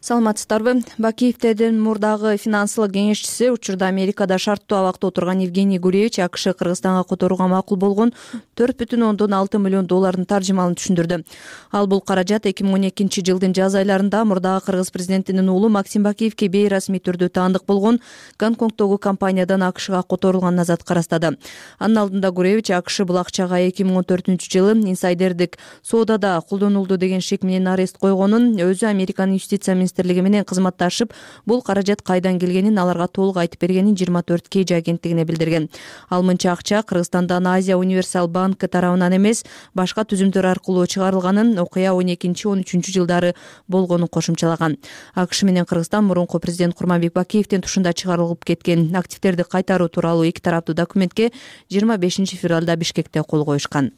Саламатсыздарбы? Бакиевдин мурдагы финансылык кеңешчиси учурда Америкада шарттуу абакта отурган Евгений Гуревич АКШ Кыргызстанга которууга макул болгон төрт бүтүн ондон алты миллион доллардын таржымалын түшүндүрдү. Ал бул каражат эки миң он экинчи жылдын жаз айларында мурдагы Кыргыз президентинин уулу Максим Бакиевке бейрасмий түрдө таандык болгон Гонконгдогу компаниядан АКШга которулганына зат карастады. Анын алдында Гуревич АКШ бул акчага эки миң он төртүнчү жылы инсайдердик соодада колдонулду деген шек менен арест койгонун, өзү Американын юстиция министрлиги менен кызматташып, бул каражат кайдан келгенин аларга толук айтып бергенин жыйырма төрт кей агенттигине билдирген. Ал мынча акча Кыргызстандан Азия Универсал банк тарабынан эмес, башка түзүмдөр аркылуу чыгарылганын, окуя он экинчи он үчүнчү жылдары болгонун кошумчалаган. АКШ менен Кыргызстан мурунку президент Курманбек Бакиевдин тушунда чыгарылып кеткен активдерди кайтаруу тууралуу эки тараптуу документке жыйырма бешинчи февралда Бишкекте кол коюшкан.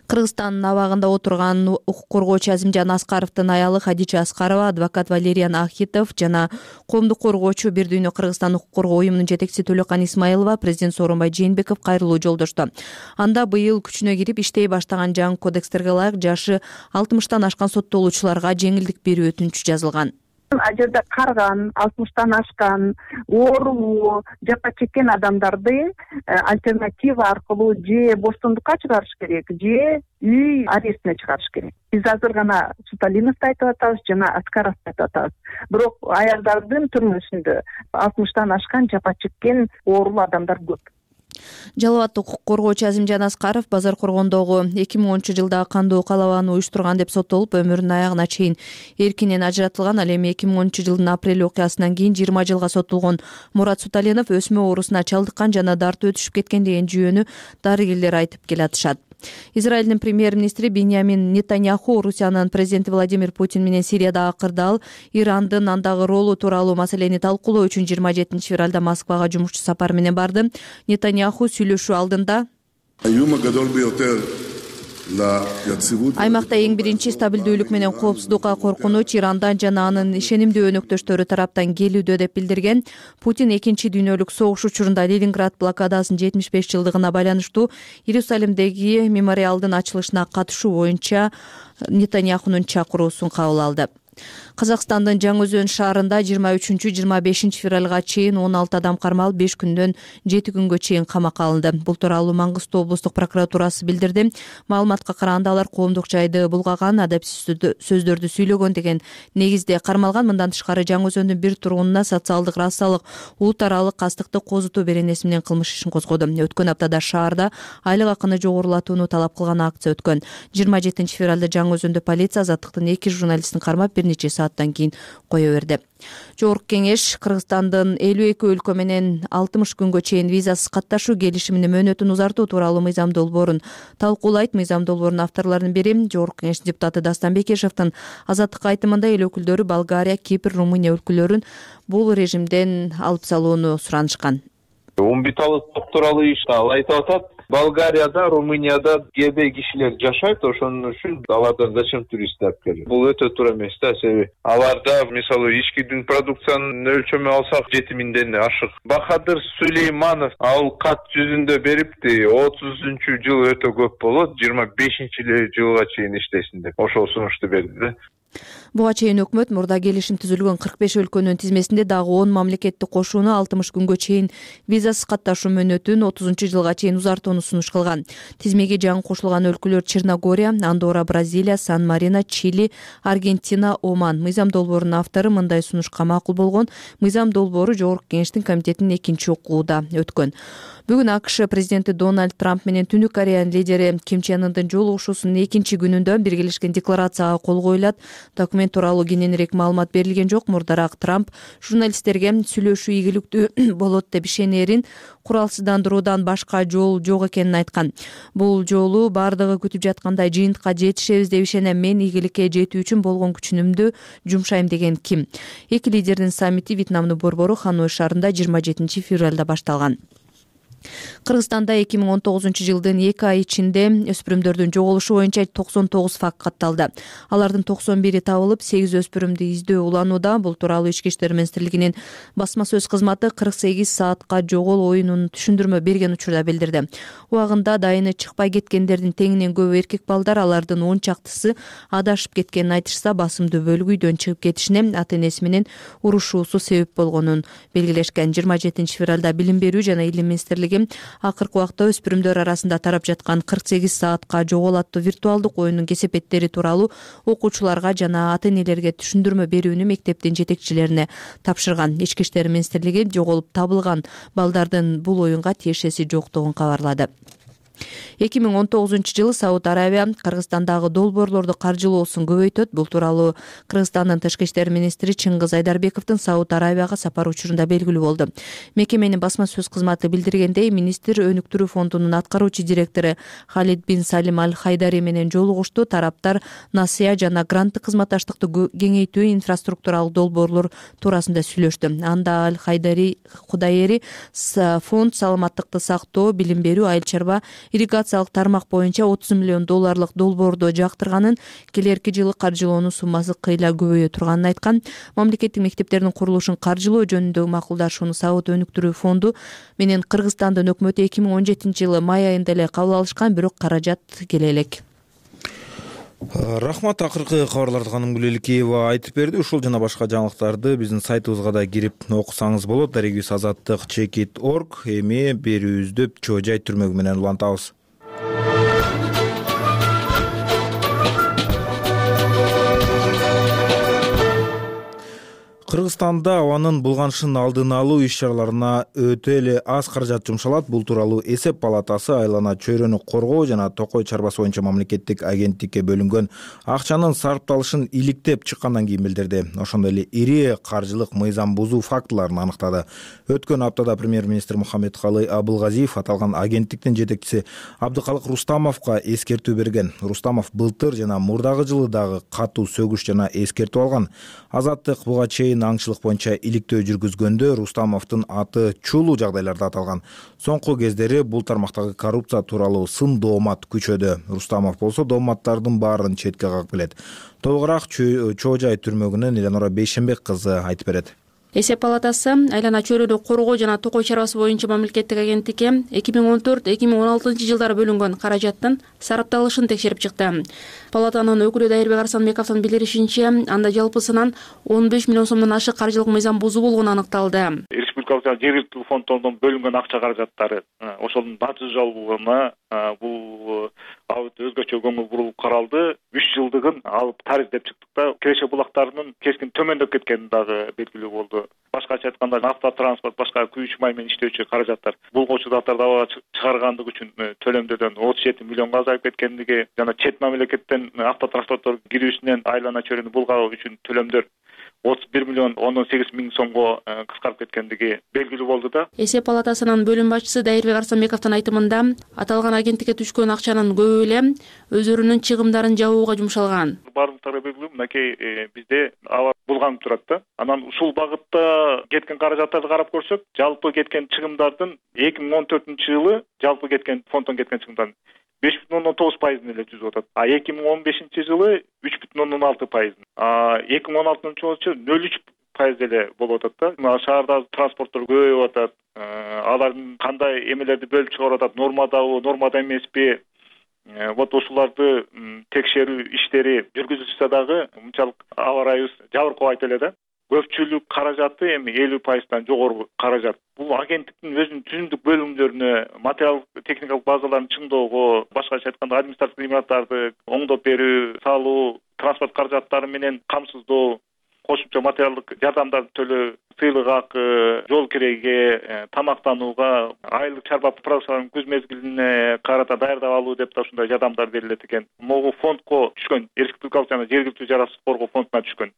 Кыргызстандын абагында отурган укук коргоочу Азимжан Аскаровдун аялы Хадича Аскарова, адвокат Валериан Ахитов жана коомдук коргоочу Бир дүйнө Кыргызстан укук коргоо уюмунун жетекчиси Төлөкан Исмаилова президент Сооронбай Жээнбеков кайрылуу жолдошту. Анда быйыл күчүнө кирип иштей баштаган жаңы кодекстерге ылайык жашы алтымыштан ашкан соттолуучуларга жеңилдик берүү өтүнүчү жазылган. Ал жерде карган, алтымыштан ашкан, оору, жапа чеккен адамдарды альтернатива аркылуу же боштондукка чыгарыш керек, же үй арестине чыгарыш керек. Биз азыр гана Суталиновду айтып атабыз жана Аскаровду айтып атабыз. Бирок аялдардын түрмөсүндө алтымыштан ашкан, жапа чеккен оорулуу адамдар көп. Жалал абад укук коргоочу Азимжан Аскаров базар коргондогу эки миң онунчу жылдагы кандуу калабаны уюштурган деп соттолуп, өмүрүнүн аягына чейин эркинен ажыратылган. Ал эми эки миң онунчу жылдын апрель окуясынан кийин жыйырма жылга соттолгон. Мурат Суталинов өсмө оорусуна чалдыккан жана дартып өтүшүп кеткен деген жүйөнү дарыгерлер айтып келатышат. Израилдин премьер-министри Биньямин Нетаньяху Орусиянын президенти Владимир Путин менен Сириядагы кырдаал, Ирандын андагы ролу тууралуу маселени талкуулоо үчүн жыйырма жетинчи февралда Москвага жумушчу сапар менен барды. Нетаньяху сүйлөшүү алдында аймакта эң биринчи стабилдүүлүк менен коопсуздукка коркунуч Ирандан жана анын ишенимдүү өнөктөштөрү тараптан келүүдө деп билдирген. Путин экинчи дүйнөлүк согуш учурунда Ленинград блокадасынын жетимиш беш жылдыгына байланыштуу Иерусалимдеги мемориалдын ачылышына катышуу боюнча Нетаньяхунун чакыруусун кабыл алды. Казакстандын Жаңы Өзөн шаарында жыйырма үчүнчү жыйырма бешинчи февралга чейин он алты адам кармалып, беш күндөн жети күнгө чейин камакка алынды. Бул тууралуу Мангыстау облустук прокуратурасы билдирди. Маалыматка караганда алар коомдук жайды булгаган, адепсиз сөздөрдү сүйлөгөн деген негизде кармалган. Мындан тышкары Жаңы Өзөндүн бир тургунуна социалдык, расалык, улут аралык кастыкты козутуу беренеси менен кылмыш ишин козгоду. Өткөн аптада шаарда айлык акыны жогорулатууну талап кылган акция өткөн. жыйырма жетинчи февралда Жаңы Өзөндө полиция Азаттыктын эки журналистин кармап, бир нече сааттан кийин кое берди. Жогорку кеңеш Кыргызстандын элүү эки өлкө менен алтымыш күнгө чейин визасыз катташуу келишиминин мөөнөтүн узартуу тууралуу мыйзам долбоорун талкуулайт. Мыйзам долбоорунун авторлорунун бири Жогорку кеңештин депутаты Дастан Бекешевдин Азаттыкка айтымында эл өкүлдөрү Болгария, Кипр, Румыния өлкөлөрүн бул режимден алып салууну суранышкан. Умбиталы топ тууралуу ишти ал айтып атат. Болгарияда, Румынияда кээ кишилер жашайт, ошон үчүн алардан зачем туристтер алып келет? Бул өтө туура эмес да, себеби аларда мисалы ички продукциянын өлчөмү алсак жети миңден ашык. Бахадыр Сулейманов ал кат жүзүндө берипти, отузунчу жыл өтө көп болот, жыйырма бешинчи жылга чейин иштесин деп ошол сунушту берди да. Буга чейин өкмөт мурда келишим түзүлгөн кырк беш өлкөнүн тизмесинде дагы он мамлекетти кошууну алтымыш күнгө чейин визасыз катташуу мөөнөтүн отузунчу жылга чейин узартууну сунуш кылган. Тизмеге жаңы кошулган өлкөлөр Черногория, Андорра, Бразилия, Сан-Марино, Чили, Аргентина, Оман. Мыйзам долбоорунун автору мындай сунушка макул болгон. Мыйзам долбоору Жогорку кеңештин комитетинин экинчи окууда өткөн. Бүгүн АКШ президенти Дональд Трамп менен Түндүк Кореянын лидери Ким Чен Ындын жолугушуусунун экинчи күнүндө биргелешкен декларацияга кол коюлат. Документ тууралуу кененирээк маалымат берилген жок. Мурдараак Трамп журналисттерге сүйлөшүү ийгиликтүү болот деп ишенерин, куралсыздандыруудан башка жол жок экенин айткан. Бул жолу бардыгы күтүп жаткандай жыйынтыкка жетишебиз деп ишенем. Мен ийгиликке жетүү үчүн болгон күчүмдү жумшайм деген Ким. Эки лидердин саммити Вьетнамдын борбору Ханой шаарында жыйырма жетинчи февралда башталган. Кыргызстанда эки миң он тогузунчу жылдын эки ай ичинде өспүрүмдөрдүн жоголушу боюнча токсон тогуз факт катталды. Алардын токсон бири табылып, сегиз өспүрүмдү издөө уланууда. Бул тууралуу Ички иштер министрлигинин басма сөз кызматы кырк сегиз саатка жогол оюнун түшүндүрмө берген учурда билдирди. Убагында дайыны чыкпай кеткендердин теңинен көбү эркек балдар, алардын он чактысы адашып кеткенин айтышса, басымдуу бөлүгү үйдөн чыгып кетишине, ата энеси менен урушуусу себеп болгонун белгилешкен. жыйырма жетинчи февралда Билим берүү жана Илим министрлиги акыркы убакта өспүрүмдөр арасында тарап жаткан кырк сегиз саатка жогол аттуу виртуалдык оюнун кесепеттери тууралуу окуучуларга жана ата энелерге түшүндүрмө берүүнү мектептин жетекчилерине тапшырган. Ички иштер министрлиги жоголуп табылган балдардын бул оюнга тиешеси жоктугун кабарлады. эки миң он тогузунчу жылы Сауд Арабия Кыргызстандагы долбоорлорду каржылоосун көбөйтөт. Бул тууралуу Кыргызстандын тышкы иштер министри Чыңгыз Айдарбековдун Сауд Арабияга сапары учурунда белгилүү болду. Мекеменин басма сөз кызматы билдиргендей, министр өнүктүрүү фондунун аткаруучу директору Халид бин Салим Аль Хайдари менен жолугушту. Тараптар насыя жана гранттык кызматташтыкты кеңейтүү, инфраструктуралык долбоорлор туурасында сүйлөштү. Анда Аль Хайдари Кудайери фонд саламаттыкты сактоо, билим берүү, айыл чарба, ирригациялык тармак боюнча отуз миллион долларлык долбоорду жактырганын, келерки жылы каржылоонун суммасы кыйла көбөйө турганын айткан. Мамлекеттик мектептердин курулушун каржылоо жөнүндөгү макулдашууну Сауд өнүктүрүү фонду менен Кыргызстандын өкмөтү эки миң он жетинчи жылы май айында эле кабыл алышкан, бирок каражат келе элек. Рахмат. Акыркы кабарларды Ханым Гүлеликеева айтып берди. Ушул жана башка жаңылыктарды биздин сайтыбызга да кирип окусаңыз болот. Дарегибиз азаттык чекит точка орг. Эми берүүбүздү Чоо Жай түрмөгү менен улантабыз. Кыргызстанда абанын булганышын алдын алуу иш-чараларына өтө эле аз каражат жумшалат. Бул тууралуу Эсеп палатасы айлана чөйрөнү коргоо жана Токой чарбасы боюнча мамлекеттик агенттикке бөлүнгөн акчанын сарпталышын иликтеп чыккандан кийин билдирди. Ошондой эле ири каржылык мыйзам бузуу фактыларын аныктады. Өткөн аптада премьер-министр Мухаммедкалый Абылгазиев аталган агенттиктин жетекчиси Абдыкалык Рустамовго эскертүү берген. Рустамов былтыр жана мурдагы жылы дагы катуу сөгүш жана эскертүү алган. Азаттык буга чейин аңчылык боюнча иликтөө жүргүзгөндө Рустамовдун аты чулуу жагдайларда аталган. Соңку кездери бул тармактагы коррупция тууралуу сын доомат күчөдө. Рустамов болсо дооматтардын баарын четке кагып келет. Толугураак Чоо Жай түрмөгүнөн Эленора Бейшенбек кызы айтып берет. Эсеп палатасы айлана чөйрөнү коргоо жана Токой чарбасы боюнча мамлекеттик агенттикке эки миң он төрт эки миң он алтынчы жылдары бөлүнгөн каражаттын сарапталышын текшерип чыкты. Палатанын өкүлү Дайырбек Арсанбековдун билдиришинче, анда жалпысынан он беш миллион сомдон ашык каржылык мыйзам бузуу болгону аныкталды. Республикалык жана жергиликтүү фонддордон бөлүнгөн акча каражаттары ошонун натыйжалуулугуна бул абы өзгөчө көңүл бурулуп каралды. үч жылдыгын алып тарих деп чыктык да, киреше булактарынын кескин төмөндөп кеткени дагы белгилүү болду. башкача айтканда автотранспорт, башка күйүүчү май менен иштөөчү каражаттар булгоочу заттарды абага чыгаргандыгы үчүн төлөмдөрдөн отуз жети миллионго азайып кеткендиги жана чет мамлекеттен автотранспорттор кирүүсүнөн айлана чөйрөнү булгоо үчүн төлөмдөр отуз бир миллион ондон сегиз миң сомго кыскарып кеткендиги белгилүү болду да. Эсеп палатасынын бөлүм башчысы Дайырбек Арсанбековдун айтымында аталган агенттикке түшкөн акчанын көбү эле өздөрүнүн чыгымдарын жабууга жумшалган. Бардыктары белгилүү, мынакей бизде аба булганып турат да. Анан ушул багытта кеткен каражаттарды карап көрсөк, жалпы кеткен чыгымдардын эки миң он төртүнчү жылы жалпы кеткен фонддон кеткен чыгымдардын беш бүтүн ондон тогуз пайызын эле түзүп атат. А эки миң он бешинчи жылы үч бүтүн ондон алты пайызын. А эки миң он алтынчы жылы нөл үч пайыз эле болуп атат да. Мына шаарда транспорттор көбөйүп атат. Алардын кандай эмелерди бөлүп чыгарып атат, нормадабы, нормада эмеспи? Вот ушуларды текшерүү иштери жүргүзүлсө дагы мынчалык аба ырайыбыз жабыркабайт эле да. Көпчүлүк каражаты эми элүү пайыздан жогору каражат. Бул агенттиктин өзүнүн түзүмдүк бөлүмдөрүнө, материалдык техникалык базаларын чыңдоого, башкача айтканда административдик имараттарды оңдоп берүү, салуу, транспорт каражаттары менен камсыздоо, кошумча материалдык жардамдарды төлөө, сыйлык акы, жол киреге, тамактанууга, айлык чарба продукцияларын күз мезгилине карата даярдап алуу деп да ушундай жардамдар берилет экен. Могу фондко түшкөн, республикалык жана жергиликтүү жараткыч коргоо фондуна түшкөн.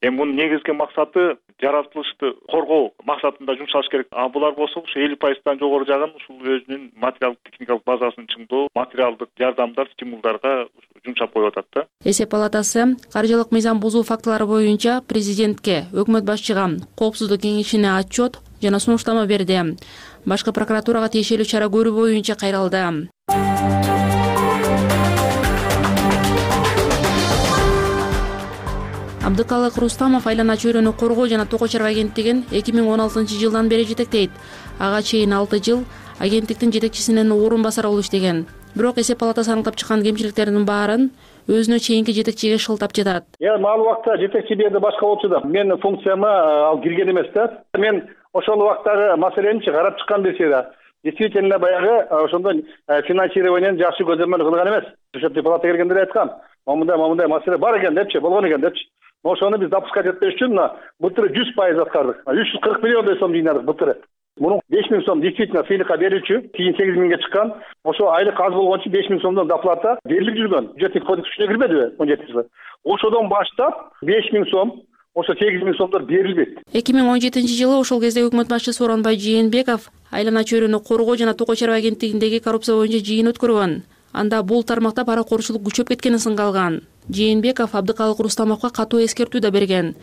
Эми мунун негизги максаты жаратылышты коргоо максатында жумшалыш керек. А булар болсо ушу элүү пайыздан жогору жагын ушул өзүнүн материалдык техникалык базасын чыңдоо, материалдык жардамдар, стимулдарга жумшап коюп атат да. Эсеп палатасы каржылык мыйзам бузуу фактылары боюнча президентке, өкмөт башчыга, коопсуздук кеңешине отчет жана сунуштама берди. Башкы прокуратурага тиешелүү чара көрүү боюнча кайрылды. Абдыкалык Рустамов айлана чөйрөнү коргоо жана токой чарба агенттигин эки миң он алтынчы жылдан бери жетектейт. Ага чейин алты жыл агенттиктин жетекчисинин орун басары болуп иштеген. Бирок эсеп палатасы аныктап чыккан кемчиликтердин баарын өзүнө чейинки жетекчиге шылтап жатат. Эми ал убакта жетекчи берди башка болчу да. Менин функцияма ал кирген эмес да. Мен ошол убактагы маселени карап чыккан берсе да. Действительно баягы ошондой финансированиени жакшы көзөмөл кылган эмес. Бюджеттик палата келгенде айткан, момундай момундай маселе бар экен депчи, болгон экен депчи. Ошону биз допускать этпеш үчүн мына былтыр жүз пайыз аткардык. үч жүз кырк миллиондой сом жыйнадык былтыр. Мунун беш миң сом действительно сыйлыкка берилчү, кийин сегиз миңге чыккан. Ошо айлык аз болгон үчүн беш миң сомдон доплата берилип жүргөн. Бюджеттик кодекс күчүнө кирбедиби он жетинчи жылы? Ошодон баштап беш миң сом, ошо сегиз миң сомдор берилбейт. эки миң он жетинчи жылы ошол кезде өкмөт башчысы Сооронбай Жээнбеков айлана чөйрөнү коргоо жана токой чарба агенттигиндеги коррупция боюнча жыйын өткөргөн. Анда бул тармакта паракорчулук күчөп кеткени сынга алган. Жээнбеков Абдыкалык Рустамовго катуу эскертүү да берген.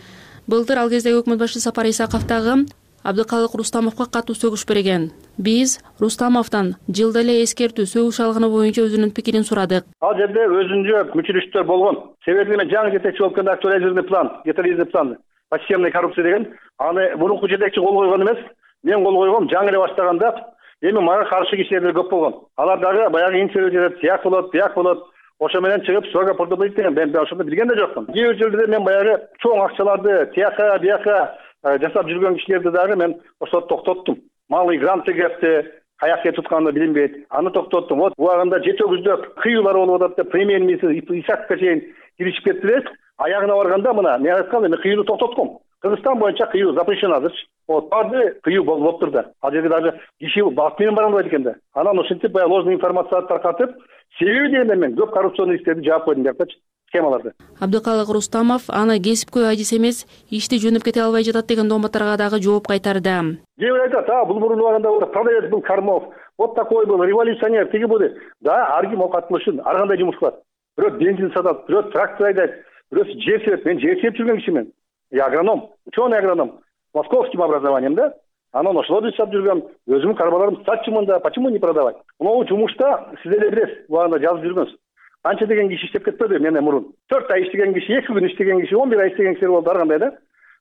Былтыр ал кезде өкмөт башчысы Сапар Исаков дагы Абдыкалык Рустамовго катуу сөгүш берген. Биз Рустамовдон жылда эле эскертүү сөгүш алганы боюнча өзүнүн пикирин сурадык. Ал жерде өзүнчө мүчүлүштөр болгон. Себеби мен жаңы жетекчи болуп келгенде актуализированный план, детализированный план, по системной коррупции деген, аны мурунку жетекчи кол койгон эмес, мен кол койгом жаңы эле баштаганда. Эми мага каршы кишилер көп болгон. Алар дагы баягы инициатива тияк болот, тияк болот. Ошо менен чыгып сага продобить деген мен ошондо билген да жокмун. Кээ бир жерлерде мен баягы чоң акчаларды тияка, бияка жасап жүргөн кишилерди дагы мен ошо токтоттум. Малый гранты кепти, каякка тутканды билинбейт. Аны токтоттум. Вот убагында жети өгүздөк кыюулар болуп атат деп премьер-министр Исаковго чейин киришип кеттилер. Аягына барганда мына мен айткам, мен кыюуну токтотком. Кыргызстан боюнча кыюу запрещен азырчы. Вот баарды кыюу болуп турду. Ал жерде даже киши бат менен бара албайт экен да. Анан ошентип баягы ложный информацияны таркатып, себеби дегенде мен көп коррупционный иштерди жаап койдум биякчы, схемаларды. Абдыкалык Рустамов аны кесипкөй адис эмес, ишти жөнөп кете албай жатат деген дооматтарга дагы жооп кайтарды. Кээ бир айтат, а бул мурун убагында продавец был Кармов, вот такой был революционер, тиги бул. Да, ар ким окутулушун, ар кандай жумуш кылат. Бирөө бензин сатат, бирөө трактор айдайт, бирөөсү жер себет. Мен жер себип жүргөн кишимин. Я агроном, ученый агроном, московским образованием, да? Анан ошолорду жасап жүргөн, өзүмдүн карбаларымды сатчумун да, почему не продавать? Могу жумушта сиз эле билесиз, убагында жазып жүргөнсүз. Канча деген киши иштеп кетпеди менен мурун. төрт ай иштеген киши, эки күн иштеген киши, он бир ай иштеген кишилер болду ар кандай да.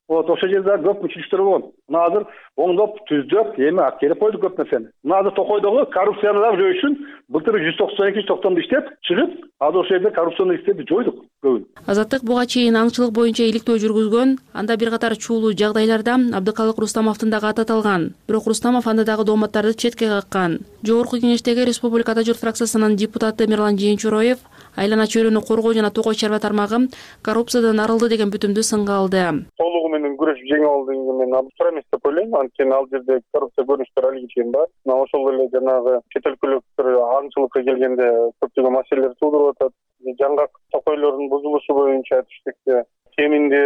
Вот ошол жерде көп мүчүлүктөр болгон. Мына азыр оңдоп, түздөп, эми келип койду көп нерсени. Мына азыр Токойдогу коррупцияны дагы жоюш үчүн былтыр жүз токсон эки токтомду иштеп, чыгып, азыр ошол жерде коррупционный иштерди жойдук көбүн. Азаттык буга чейин аңчылык боюнча иликтөө жүргүзгөн, анда бир катар чуулуу жагдайларда Абдыкалык Рустамовдун дагы аты аталган. Бирок Рустамов анда дагы дооматтарды четке каккан. Жогорку кеңештеги Республикада журт фракциясынын депутаты Мирлан Жээнчуроев айлана чөйрөнү коргоо жана токой чарба тармагы коррупциядан арылды деген бүтүмдү сынга алды. Толугу менен күрөшүп жеңип алды дегенге мен туура эмес деп ойлойм. Анткени ал жерде коррупция көрүнүштөр алып кеткен бар. Ошол эле жанагы чет өлкөлүктөр аңчылыкка келгенде көптөгөн маселелер туудуруп атат. Жаңгак токойлордун бузулушу боюнча түштүктө кеминде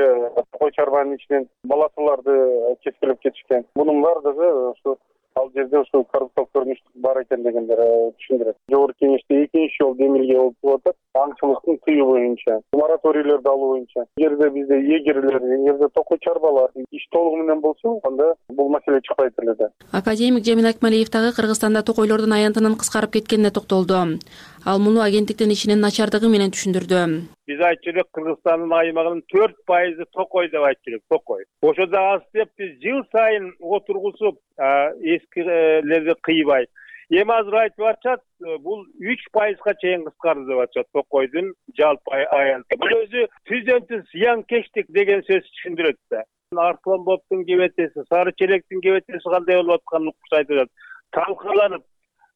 токой чарбанын ичинен баласыларды кескилеп кетишкен. Мунун баардыгы ушу ал жерде ушу коррупциялык көрүнүш бар экен дегендер түшүндүрөт. Жогорку кеңеште экинчи жолу демилге болуп атат. Аңчылыктын тыюу боюнча, мораторийлерди алуу боюнча. Эгерде бизде эгерлер, эгерде токой чарбалар иш толугу менен болсо, анда бул маселе чыкпайт эле да. Академик Жамин Акмалиев дагы Кыргызстанда токойлордун аянтынын кыскарып кеткенине токтолду. Ал муну агенттиктин ишинин начардыгы менен түшүндүрдү. Биз айтчу элек Кыргызстандын аймагынын төрт пайызы токой деп айтчу элек, токой. Ошодо аз деп биз жыл сайын отургузуп эскилерди кыйбай. Эми азыр айтып атышат, бул үч пайызга чейин кыскарды деп атышат токойдун жалпы аянты. Бул өзү түздөн-түз зыянкечтик деген сөз түшүндүрөт да. Арсланбоптун кебетеси, Сары Челектин кебетеси кандай болуп атканын укуш айтып атат. Талкаланып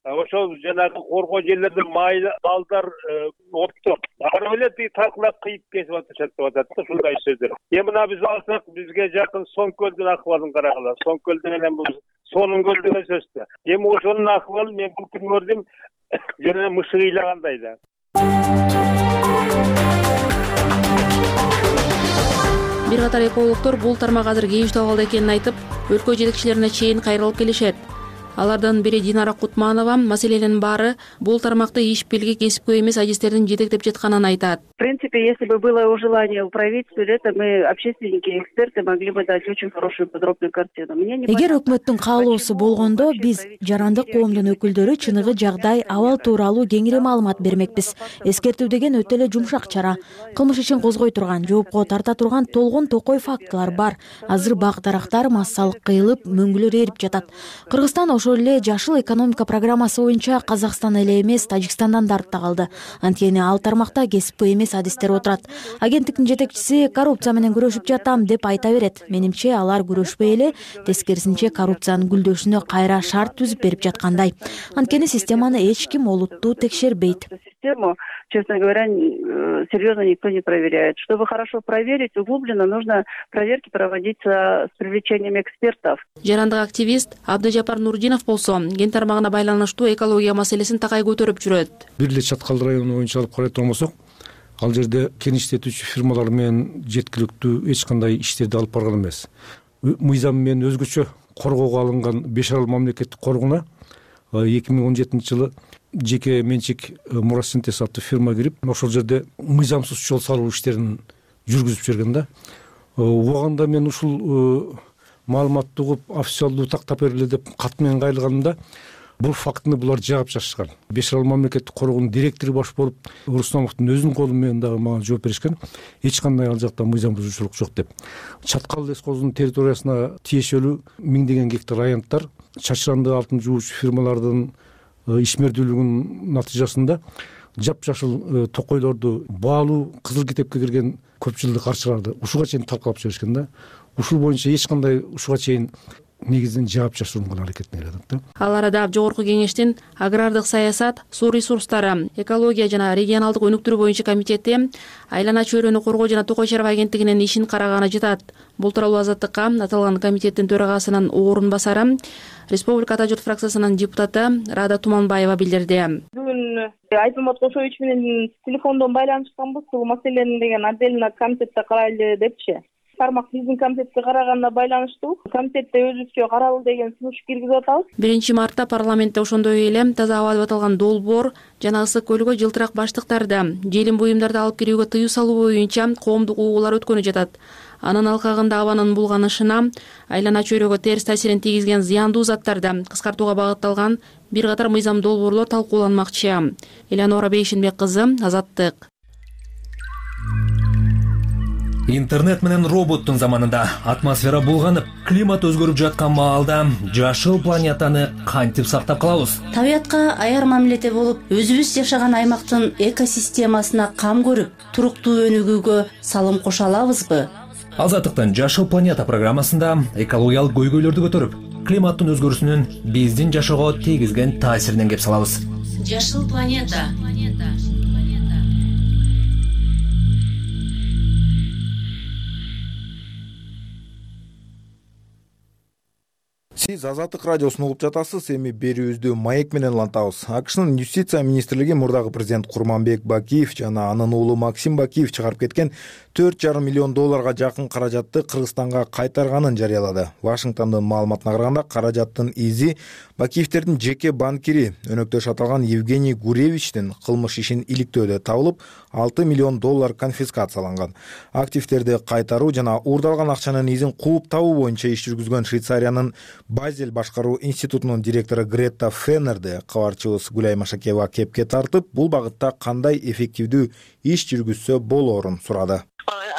ошол жанагы коргоо жерлерде майлы балдар оттоп ары эле тиги талкалап кыйып кесип атышат деп атат да, ушундай сөздөр. Эми мына биз алсак, бизге жакын Соңкөлдүн акыбалын карагыла. Соңкөлдү менен бул Сонун көл деген сөз да. Эми ошонун акыбалы мен бул күн көрдүм, жана мышык ыйлагандай да. Бир катар экологдор бул тармак азыр кейиш абалда экенин айтып, өлкө жетекчилерине чейин кайрылып келишет. Алардан бири Динара Кутманова маселенин баары бул тармакты иш белги кесипкөй эмес адистердин жетектеп жатканын айтат. В принципе, если бы было желание у правительства, это мы, общественники и эксперты, могли бы дать очень хорошую подробную картину. Эгер өкмөттүн каалоосу болгондо, биз жарандык коомдун өкүлдөрү чыныгы жагдай абал тууралуу кеңири маалымат бермекпиз. Эскертүү деген өтө эле жумшак чара. Кылмыш ишин козгой турган, жоопко тарта турган толгон токой фактылар бар. Азыр бак дарактар массалык кыйылып, мөңгүлөр эрип жатат. Кыргызстан ошол эле жашыл экономика программасы боюнча Казакстан эле эмес, Тажикстандан да артта калды. Анткени ал тармакта кесипкөй эмес адистер отурат. Агенттиктин жетекчиси коррупция менен күрөшүп жатам деп айта берет. Менимче алар күрөшпөй эле, тескерисинче коррупциянын гүлдөшүнө кайра шарт түзүп берип жаткандай. Анткени системаны эч ким олуттуу текшербейт. Систему, честно говоря, серьезно никто не проверяет. Чтобы хорошо проверить, углубленно нужно проверки проводить с привлечением экспертов. Жарандык активист Абдыжапар Нурдинов болсо, ген тармагына байланыштуу экология маселесин такай көтөрүп жүрөт. Бир эле Чаткал району боюнча алып карайт болсок, ал жерде кен иштетүүчү фирмалар менен жеткиликтүү эч кандай иштерди алып барган эмес. Мыйзам менен өзгөчө коргоого алынган беш арал мамлекеттик коргуна эки миң он жетинчи жылы жеке менчик Мурасинтез аттуу фирма кирип, ошол жерде мыйзамсыз жол салуу иштерин жүргүзүп жүргөн да. Убагында мен ушул маалыматты угуп, официалдуу тактап бергиле деп кат менен кайрылганымда, бул фактыны булар жаап чачышкан. Беш арал мамлекеттик коргоонун директору баш болуп, Руслановдун өзүнүн колу менен дагы мага жооп беришкен. Эч кандай ал жакта мыйзам бузуучулук жок деп. Чаткал лескозунун территориясына тиешелүү миңдеген гектар аянттар чачыранды алтын жуучу фирмалардын ишмердүүлүгүнүн натыйжасында жапжашыл токойлорду баалуу кызыл китепке кирген көп жылдык арчаларды ушуга чейин талкалап жиберишкен да. Ушул боюнча эч кандай ушуга чейин негизинен жаап чачырууга аракетин эле да. Ал арада Жогорку кеңештин агрардык саясат, суу ресурстары, экология жана регионалдык өнүктүрүү боюнча комитети айлана чөйрөнү коргоо жана токой чарба агенттигинин ишин караганы жатат. Бул тууралуу Азаттыкка аталган комитеттин төрагасынын орун басары, Республика Ата журт фракциясынын депутаты Рада Туманбаева билдирди. Бүгүн Айтмамат Кошович менен телефондон байланышканбыз, бул маселени деген отдельно комитетте карайлы депчи. Тармак биздин комитетке караганына байланыштуу. Комитетте өзүбүзчө каралды деген сунуш киргизип атабыз. биринчи мартта парламентте ошондой эле таза аба деп аталган долбоор жана ысык көлгө жылтырак баштыктарды, желим буюмдарды алып кирүүгө тыюу салуу боюнча коомдук угуулар өткөнү жатат. Анын алкагында абанын булганышына, айлана чөйрөгө терс таасирин тийгизген зыяндуу заттарды кыскартууга багытталган бир катар мыйзам долбоорлор талкууланмакчы. Элеонора Бейшинбек кызы, Азаттык. Интернет менен роботтун заманында атмосфера булганып, климат өзгөрүп жаткан маалда жашыл планетаны кантип сактап калабыз? Табиятка аяр мамиледе болуп, өзүбүз жашаган аймактын экосистемасына кам көрүп, туруктуу өнүгүүгө салым кошо алабызбы? Азаттыктын Жашыл планета программасында экологиялык көйгөйлөрдү көтөрүп, климаттын өзгөрүүсүнүн биздин жашоого тийгизген таасиринен кеп салабыз. Жашыл планета. Сиз Азаттык радиосун угуп жатасыз. Эми берүүбүздү маек менен улантабыз. АКШнын юстиция министрлиги мурдагы президент Курманбек Бакиев жана анын уулу Максим Бакиев чыгарып кеткен төрт жарым миллион долларга жакын каражатты Кыргызстанга кайтарганын жарыялады. Вашингтондун маалыматына караганда, каражаттын изи Бакиевтердин жеке банкири өнөктөш аталган Евгений Гуревичтин кылмыш ишин иликтөөдө табылып, алты миллион доллар конфискацияланган. Активтерди кайтаруу жана уурдалган акчанын изин кууп табуу боюнча иш жүргүзгөн Швейцариянын Базель башкаруу институтунун директору Гретта Феннерди кабарчыбыз Гүлай Машакеева кепке тартып, бул багытта кандай эффективдүү иш жүргүзсө болоорун сурады.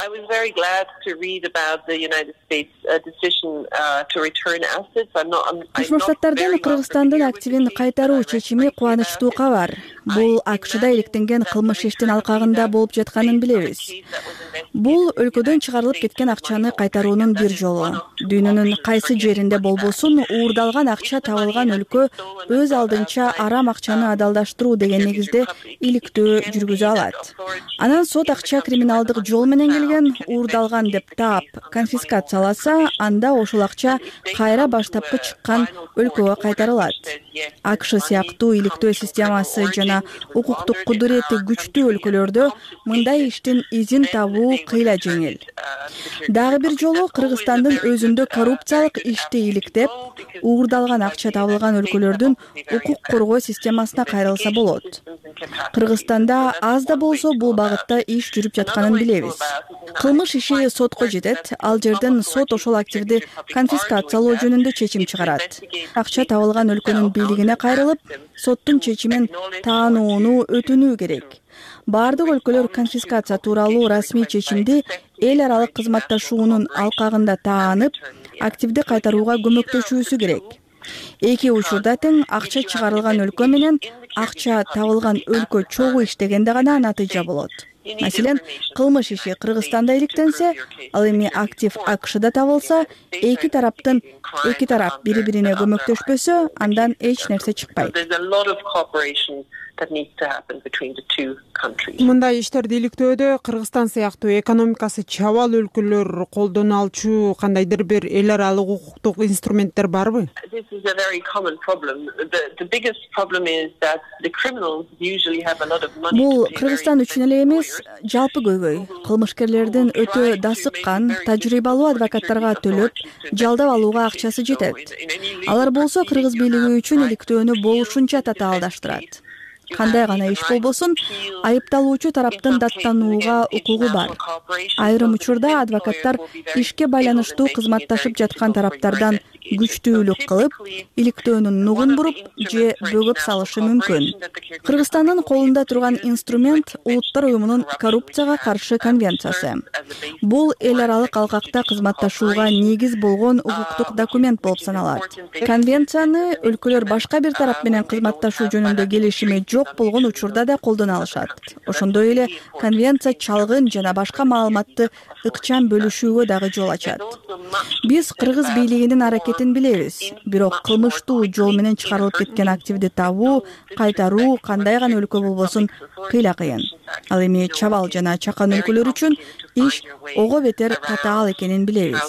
I was very glad to read about the United States uh, decision uh, to return assets. I'm not. Кошмо Штаттардын Кыргызстандын активин кайтаруу чечими кубанычтуу кабар. Бул АКШда иликтенген кылмыш иштин алкагында болуп жатканын билебиз. Бул өлкөдөн чыгарылып кеткен акчаны кайтаруунун бир жолу. Дүйнөнүн кайсы жеринде болбосун, уурдалган акча табылган өлкө өз алдынча арам акчаны адалдаштыруу деген негизде иликтөө жүргүзө алат. Анан сот акча криминалдык жол менен келген, уурдалган деп таап конфискацияласа, анда ошол акча кайра баштапкы чыккан өлкөгө кайтарылат. АКШ сыяктуу иликтөө системасы жана укуктук кудурети күчтүү өлкөлөрдө мындай иштин изин табуу кыйла жеңил. Дагы бир жолу Кыргызстандын өзүндө коррупциялык ишти иликтеп, уурдалган акча табылган өлкөлөрдүн укук коргоо системасына кайрылса болот. Кыргызстанда аз да болсо бул багытта иш жүрүп жатканын билебиз. Кылмыш иши сотко жетет, ал жерден сот ошол активди конфискациялоо жөнүндө чечим чыгарат. Акча табылган өлкөнүн бийлигине кайрылып, соттун чечимин таанууну өтүнүү керек. Бардык өлкөлөр конфискация тууралуу расмий чечимди эл аралык кызматташуунун алкагында таанып, активди кайтарууга көмөктөшүүсү керек. Эки учурда тең акча чыгарылган өлкө менен акча табылган өлкө чогуу иштегенде гана натыйжа болот. Маселен, кылмыш иши Кыргызстанда иликтенсе, ал эми актив АКШда табылса, эки тараптын эки тарап бири-бирине көмөктөшпөсө, андан эч нерсе чыкпайт. Мындай иштерди иликтөөдө Кыргызстан сыяктуу экономикасы чабал өлкөлөр колдоно алчу кандайдыр бир эл аралык укуктук инструменттер барбы? Бул Кыргызстан үчүн эле эмес, жалпы көйгөй. Кылмышкерлердин өтө дасыккан, тажрыйбалуу адвокаттарга төлөп, жалдап алууга акчасы жетет. Алар болсо кыргыз бийлиги үчүн иликтөөнү болушунча татаалдаштырат. Кандай гана иш болбосун, айыпталуучу тараптын даттанууга укугу бар. Айрым учурда адвокаттар ишке байланыштуу кызматташып жаткан тараптардан күчтүүлүк кылып, иликтөөнүн нугун буруп же бөгөп салышы мүмкүн. Кыргызстандын колунда турган инструмент Улуттар уюмунун коррупцияга каршы конвенциясы. Бул эл аралык алкакта кызматташууга негиз болгон укуктук документ болуп саналат. Конвенцияны өлкөлөр башка бир тарап менен кызматташуу жөнүндө келишими жок болгон учурда да колдоно алышат. Ошондой эле конвенция чалгын жана башка маалыматты ыкчам бөлүшүүгө дагы жол ачат. Биз кыргыз бийлигинин аракетин билебиз, бирок кылмыштуу жол менен чыгарылып кеткен активди табуу, кайтаруу кандай гана өлкө болбосун кыйла кыйын. Ал эми чабал жана чакан өлкөлөр үчүн иш ого бетер татаал экенин билебиз.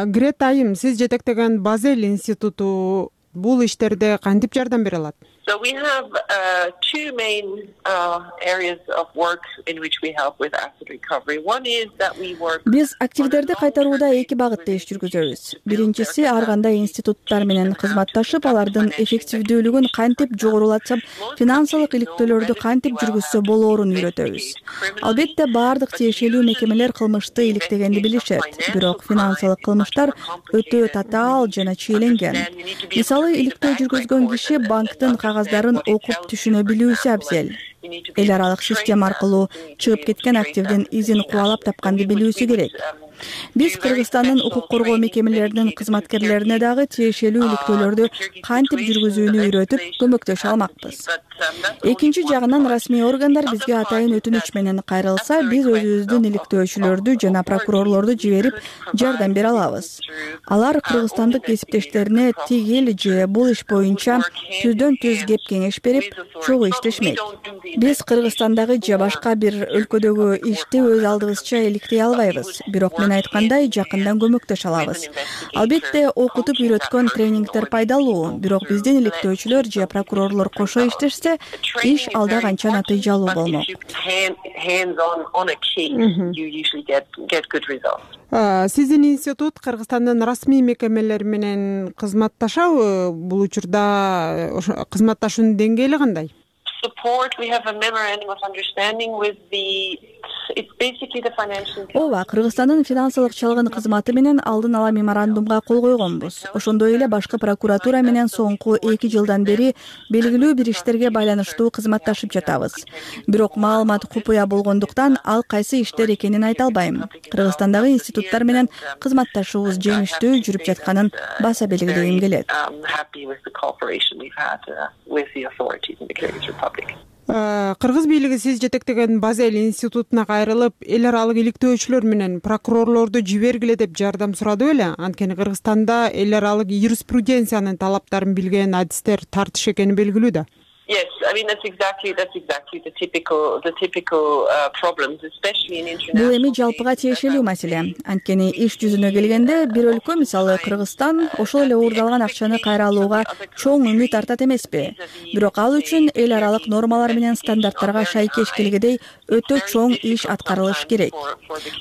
Грета айым, сиз жетектеген Базель институту бул иштерде кантип жардам бере алат? So we have uh, two main uh, areas of work in which we help with asset recovery. One is that we work. Биз активдерди кайтарууда эки багытта иш жүргүзөбүз. Биринчиси ар кандай институттар менен кызматташып, алардын эффективдүүлүгүн кантип жогорулатсап, финансылык иликтөөлөрдү кантип жүргүзсө болоорун үйрөтөбүз. Албетте бардык тиешелүү мекемелер кылмышты иликтегенди билишет, бирок финансылык кылмыштар өтө татаал жана чиеленген. Мисалы, иликтөө жүргүзгөн киши банктын кагаздарын окуп түшүнө билүүсү абзел. Эл аралык система аркылуу чыгып кеткен активдин изин кубалап тапканды билүүсү керек. Биз Кыргызстандын укук коргоо мекемелеринин кызматкерлерине дагы тиешелүү иликтөөлөрдү кантип жүргүзүүнү үйрөтүп көмөктөшө алмакпыз. Экинчи жагынан расмий органдар бизге атайын өтүнүч менен кайрылса, биз өзүбүздүн иликтөөчүлөрдү жана прокурорлорду жиберип жардам бере алабыз. Алар кыргызстандык кесиптештерине тигил же бул иш боюнча түздөн түз кеп кеңеш берип, чогуу иштешмек. биз Кыргызстандагы же башка бир өлкөдөгү ишти өз алдыбызча иликтей албайбыз, бирок мен айткандай жакындан көмөктөшө алабыз. Албетте окутуп үйрөткөн тренингдер пайдалуу, бирок биздин иликтөөчүлөр же прокурорлор кошо иштешсе, иш алда канча натыйжалуу болмок. Сиздин институт Кыргызстандын расмий мекемелери менен кызматташабы? Бул учурда кызматташуунун деңгээли кандай? ооба, Кыргызстандын финансылык чалгын кызматы менен алдын ала меморандумга кол койгонбуз. Ошондой эле башкы прокуратура менен соңку эки жылдан бери белгилүү бир иштерге байланыштуу кызматташып жатабыз. Бирок маалымат купуя болгондуктан ал кайсы иштер экенин айта албайм. Кыргызстандагы институттар менен кызматташуубуз жемиштүү жүрүп жатканын баса белгилегим келет. Кыргыз бийлиги сиз жетектеген Базель институтуна кайрылып, эл аралык иликтөөчүлөр менен прокурорлорду жибергиле деп жардам сурады беле? Анткени Кыргызстанда эл аралык юриспруденциянын талаптарын билген адистер тартыш экени белгилүү да. Yes, I mean that's exactly that's exactly the typical the typical uh, problems, especially in international. Бул эми жалпыга тиешелүү маселе. Анткени иш жүзүнө келгенде бир өлкө, мисалы Кыргызстан, ошол эле уурдалган акчаны кайра алууга чоң үмүт артат эмеспи? Бирок ал үчүн эл аралык нормалар менен стандарттарга шайкеш келгидей өтө чоң иш аткарылыш керек.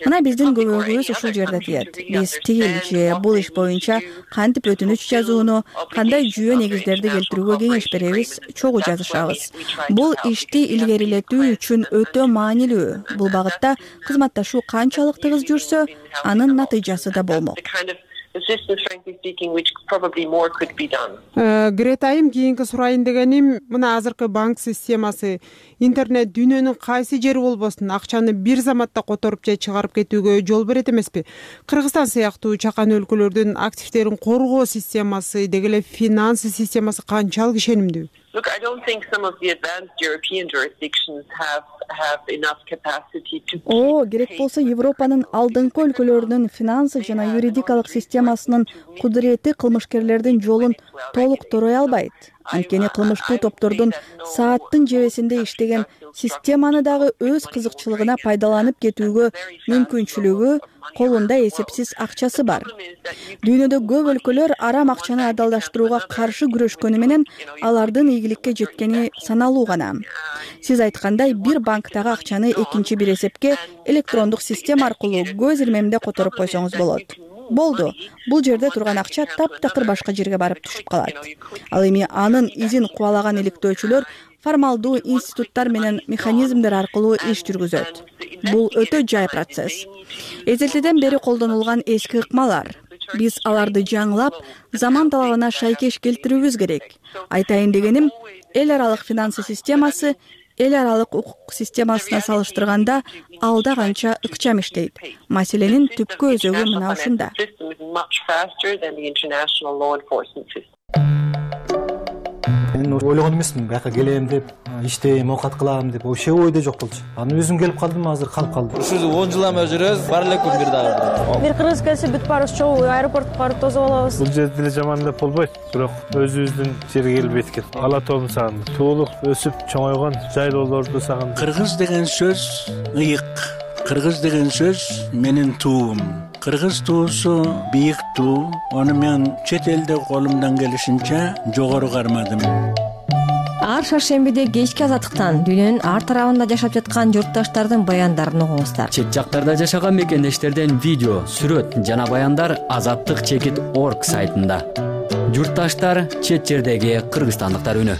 Мына биздин көбөгүбүз ушул жерде тиет. Биз тигил же бул иш боюнча кантип өтүнүч жазууну, кандай жүйө негиздерди келтирүүгө кеңеш беребиз, чогуу жазышабыз. Бул ишти илгерилетүү үчүн өтө маанилүү. Бул багытта кызматташуу канчалык тыгыз жүрсө, анын натыйжасы да болмок. Грета айым, кийинки сурайын дегеним, мына азыркы банк системасы, интернет дүйнөнүн кайсы жери болбосун акчаны бир заматта которуп же чыгарып кетүүгө жол берет эмеспи? Кыргызстан сыяктуу чакан өлкөлөрдүн активдерин коргоо системасы, деги эле финанс системасы канчалык ишенимдүү? Look, I don't think some of the advanced European jurisdictions have have enough capacity to. О, керек болсо Европанын алдыңкы өлкөлөрүнүн финанс жана юридикалык системасынын кудурети кылмышкерлердин жолун толук торой албайт. Анткени кылмыштуу топтордун сааттын жебесинде иштеген системаны дагы өз кызыкчылыгына пайдаланып кетүүгө мүмкүнчүлүгү, колунда эсепсиз акчасы бар. Дүйнөдө көп өлкөлөр арам акчаны адалдаштырууга каршы күрөшкөнү менен алардын ийгиликке жеткени саналуу гана. Сиз айткандай, бир банктагы акчаны экинчи бир эсепке электрондук система аркылуу көз ирмемде которуп койсоңуз болот. Болду. Бул жерде турган акча таптакыр башка жерге барып түшүп калат. Ал эми анын изин кубалаган иликтөөчүлөр формалдуу институттар менен механизмдер аркылуу иш жүргүзөт. Бул өтө жай процесс. Эзелтеден бери колдонулган эски ыкмалар. Биз аларды жаңылап, заман талабына шайкеш келтирүүбүз керек. Айтайын дегеним, эл аралык финансы системасы эл аралык укук системасына салыштырганда алда канча ыкчам иштейт. Маселенин түпкү өзөгү мына ушунда. Мен ойлогон эмесмин, бияка келем деп, иштейм, оокат кылам деп, вообще ойдо жок болчу. Аны өзүм келип калдым, азыр калып калдым. Ушул он жылдан бери жүрөбүз, бар элекпи бир дагы. Бир кыргыз келсе бүт баарыбыз чогуу аэропортко барып тосуп алабыз. Бул жерде деле жаман деп болбойт, бирок өзүбүздүн жерге келип эткил. Ала тоомун сагындым. Туулук, өсүп чоңойгон жайлоолорду сагындым. Кыргыз деген сөз ыйык. Кыргыз деген сөз менин туум. Кыргыз туусу бийик туу. Аны мен чет элде колумдан келишинче жогору кармадым. Ар шаршембиде кечки азаттыктан дүйнөнүн ар тарабында жашап жаткан журтташтардын баяндарын угуңуздар. Чет жактарда жашаган мекендештерден видео, сүрөт жана баяндар азаттык чекит точка орг сайтында. Журтташтар, чет жердеги кыргызстандыктар үнү.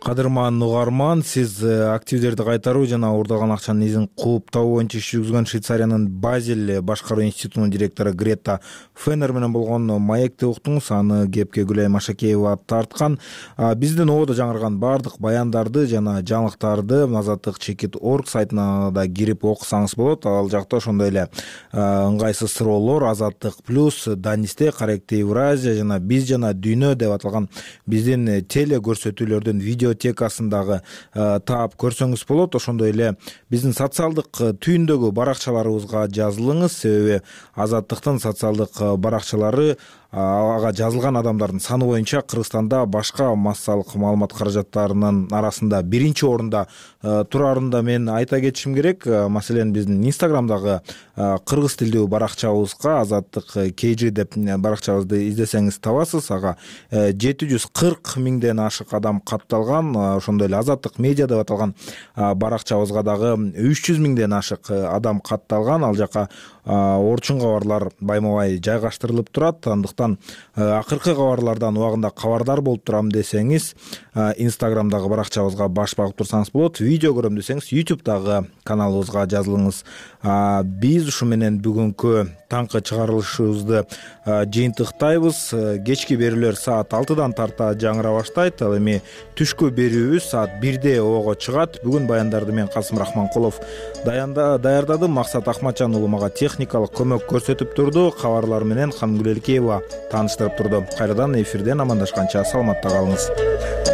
Кадырман угарман, сиз активдерди кайтаруу жана уурдалган акчанын изин кууп табуу боюнча иш жүргүзгөн Швейцариянын Базель башкаруу институтунун директору Грета Феннер менен болгон маекти уктуңуз. Аны кепке Гүлайым Машакеева тарткан. Биздин ободо жаңырган баардык баяндарды жана жаңылыктарды азаттык чекит точка орг сайтына да кирип окусаңыз болот. Ал жакта ошондой эле ыңгайсыз суроолор, Азаттык плюс, Данисте, Каректи Евразия жана Биз жана Дүйнө деп аталган биздин теле көрсөтүүлөрдүн видео текасындагы таап көрсөңүз болот. Ошондой эле биздин социалдык түйүндөгү баракчаларыбызга жазылыңыз, себеби Азаттыктын социалдык баракчалары ага жазылган адамдардын саны боюнча Кыргызстанда башка массалык маалымат каражаттарынын арасында биринчи орунда турарын да мен айта кетишим керек. Маселен биздин Инстаграмдагы кыргыз тилдүү баракчабызга азаттык kg деп баракчабызды издесеңиз табасыз. Ага жети жүз кырк миңден ашык адам катталган. Ошондой эле азаттык медиа деп аталган баракчабызга дагы үч жүз миңден ашык адам катталган. Ал жака орчун кабарлар байма-бай жайгаштырылып турат. Андыктан акыркы кабарлардан убагында кабардар болуп турам десеңиз, Инстаграмдагы баракчабызга баш багып турсаңыз болот. Видео көрөм десеңиз, YouTube'дагы каналыбызга жазылыңыз. Биз ушу менен бүгүнкү таңкы чыгарылышыбызды жыйынтыктайбыз. Кечки берүүлөр саат алтыдан тарта жаңыра баштайт. Ал эми түшкү берүүбүз саат бирде ого чыгат. Бүгүн баяндарды мен Касым Рахманкулов даярдадым. Максат Акматжан уулу мага техникалык көмөк көрсөтүп турду. Кабарлар менен Хангүл Элкеева тааныштырып турду. Кайрадан эфирден амандашканча саламатта калыңыз.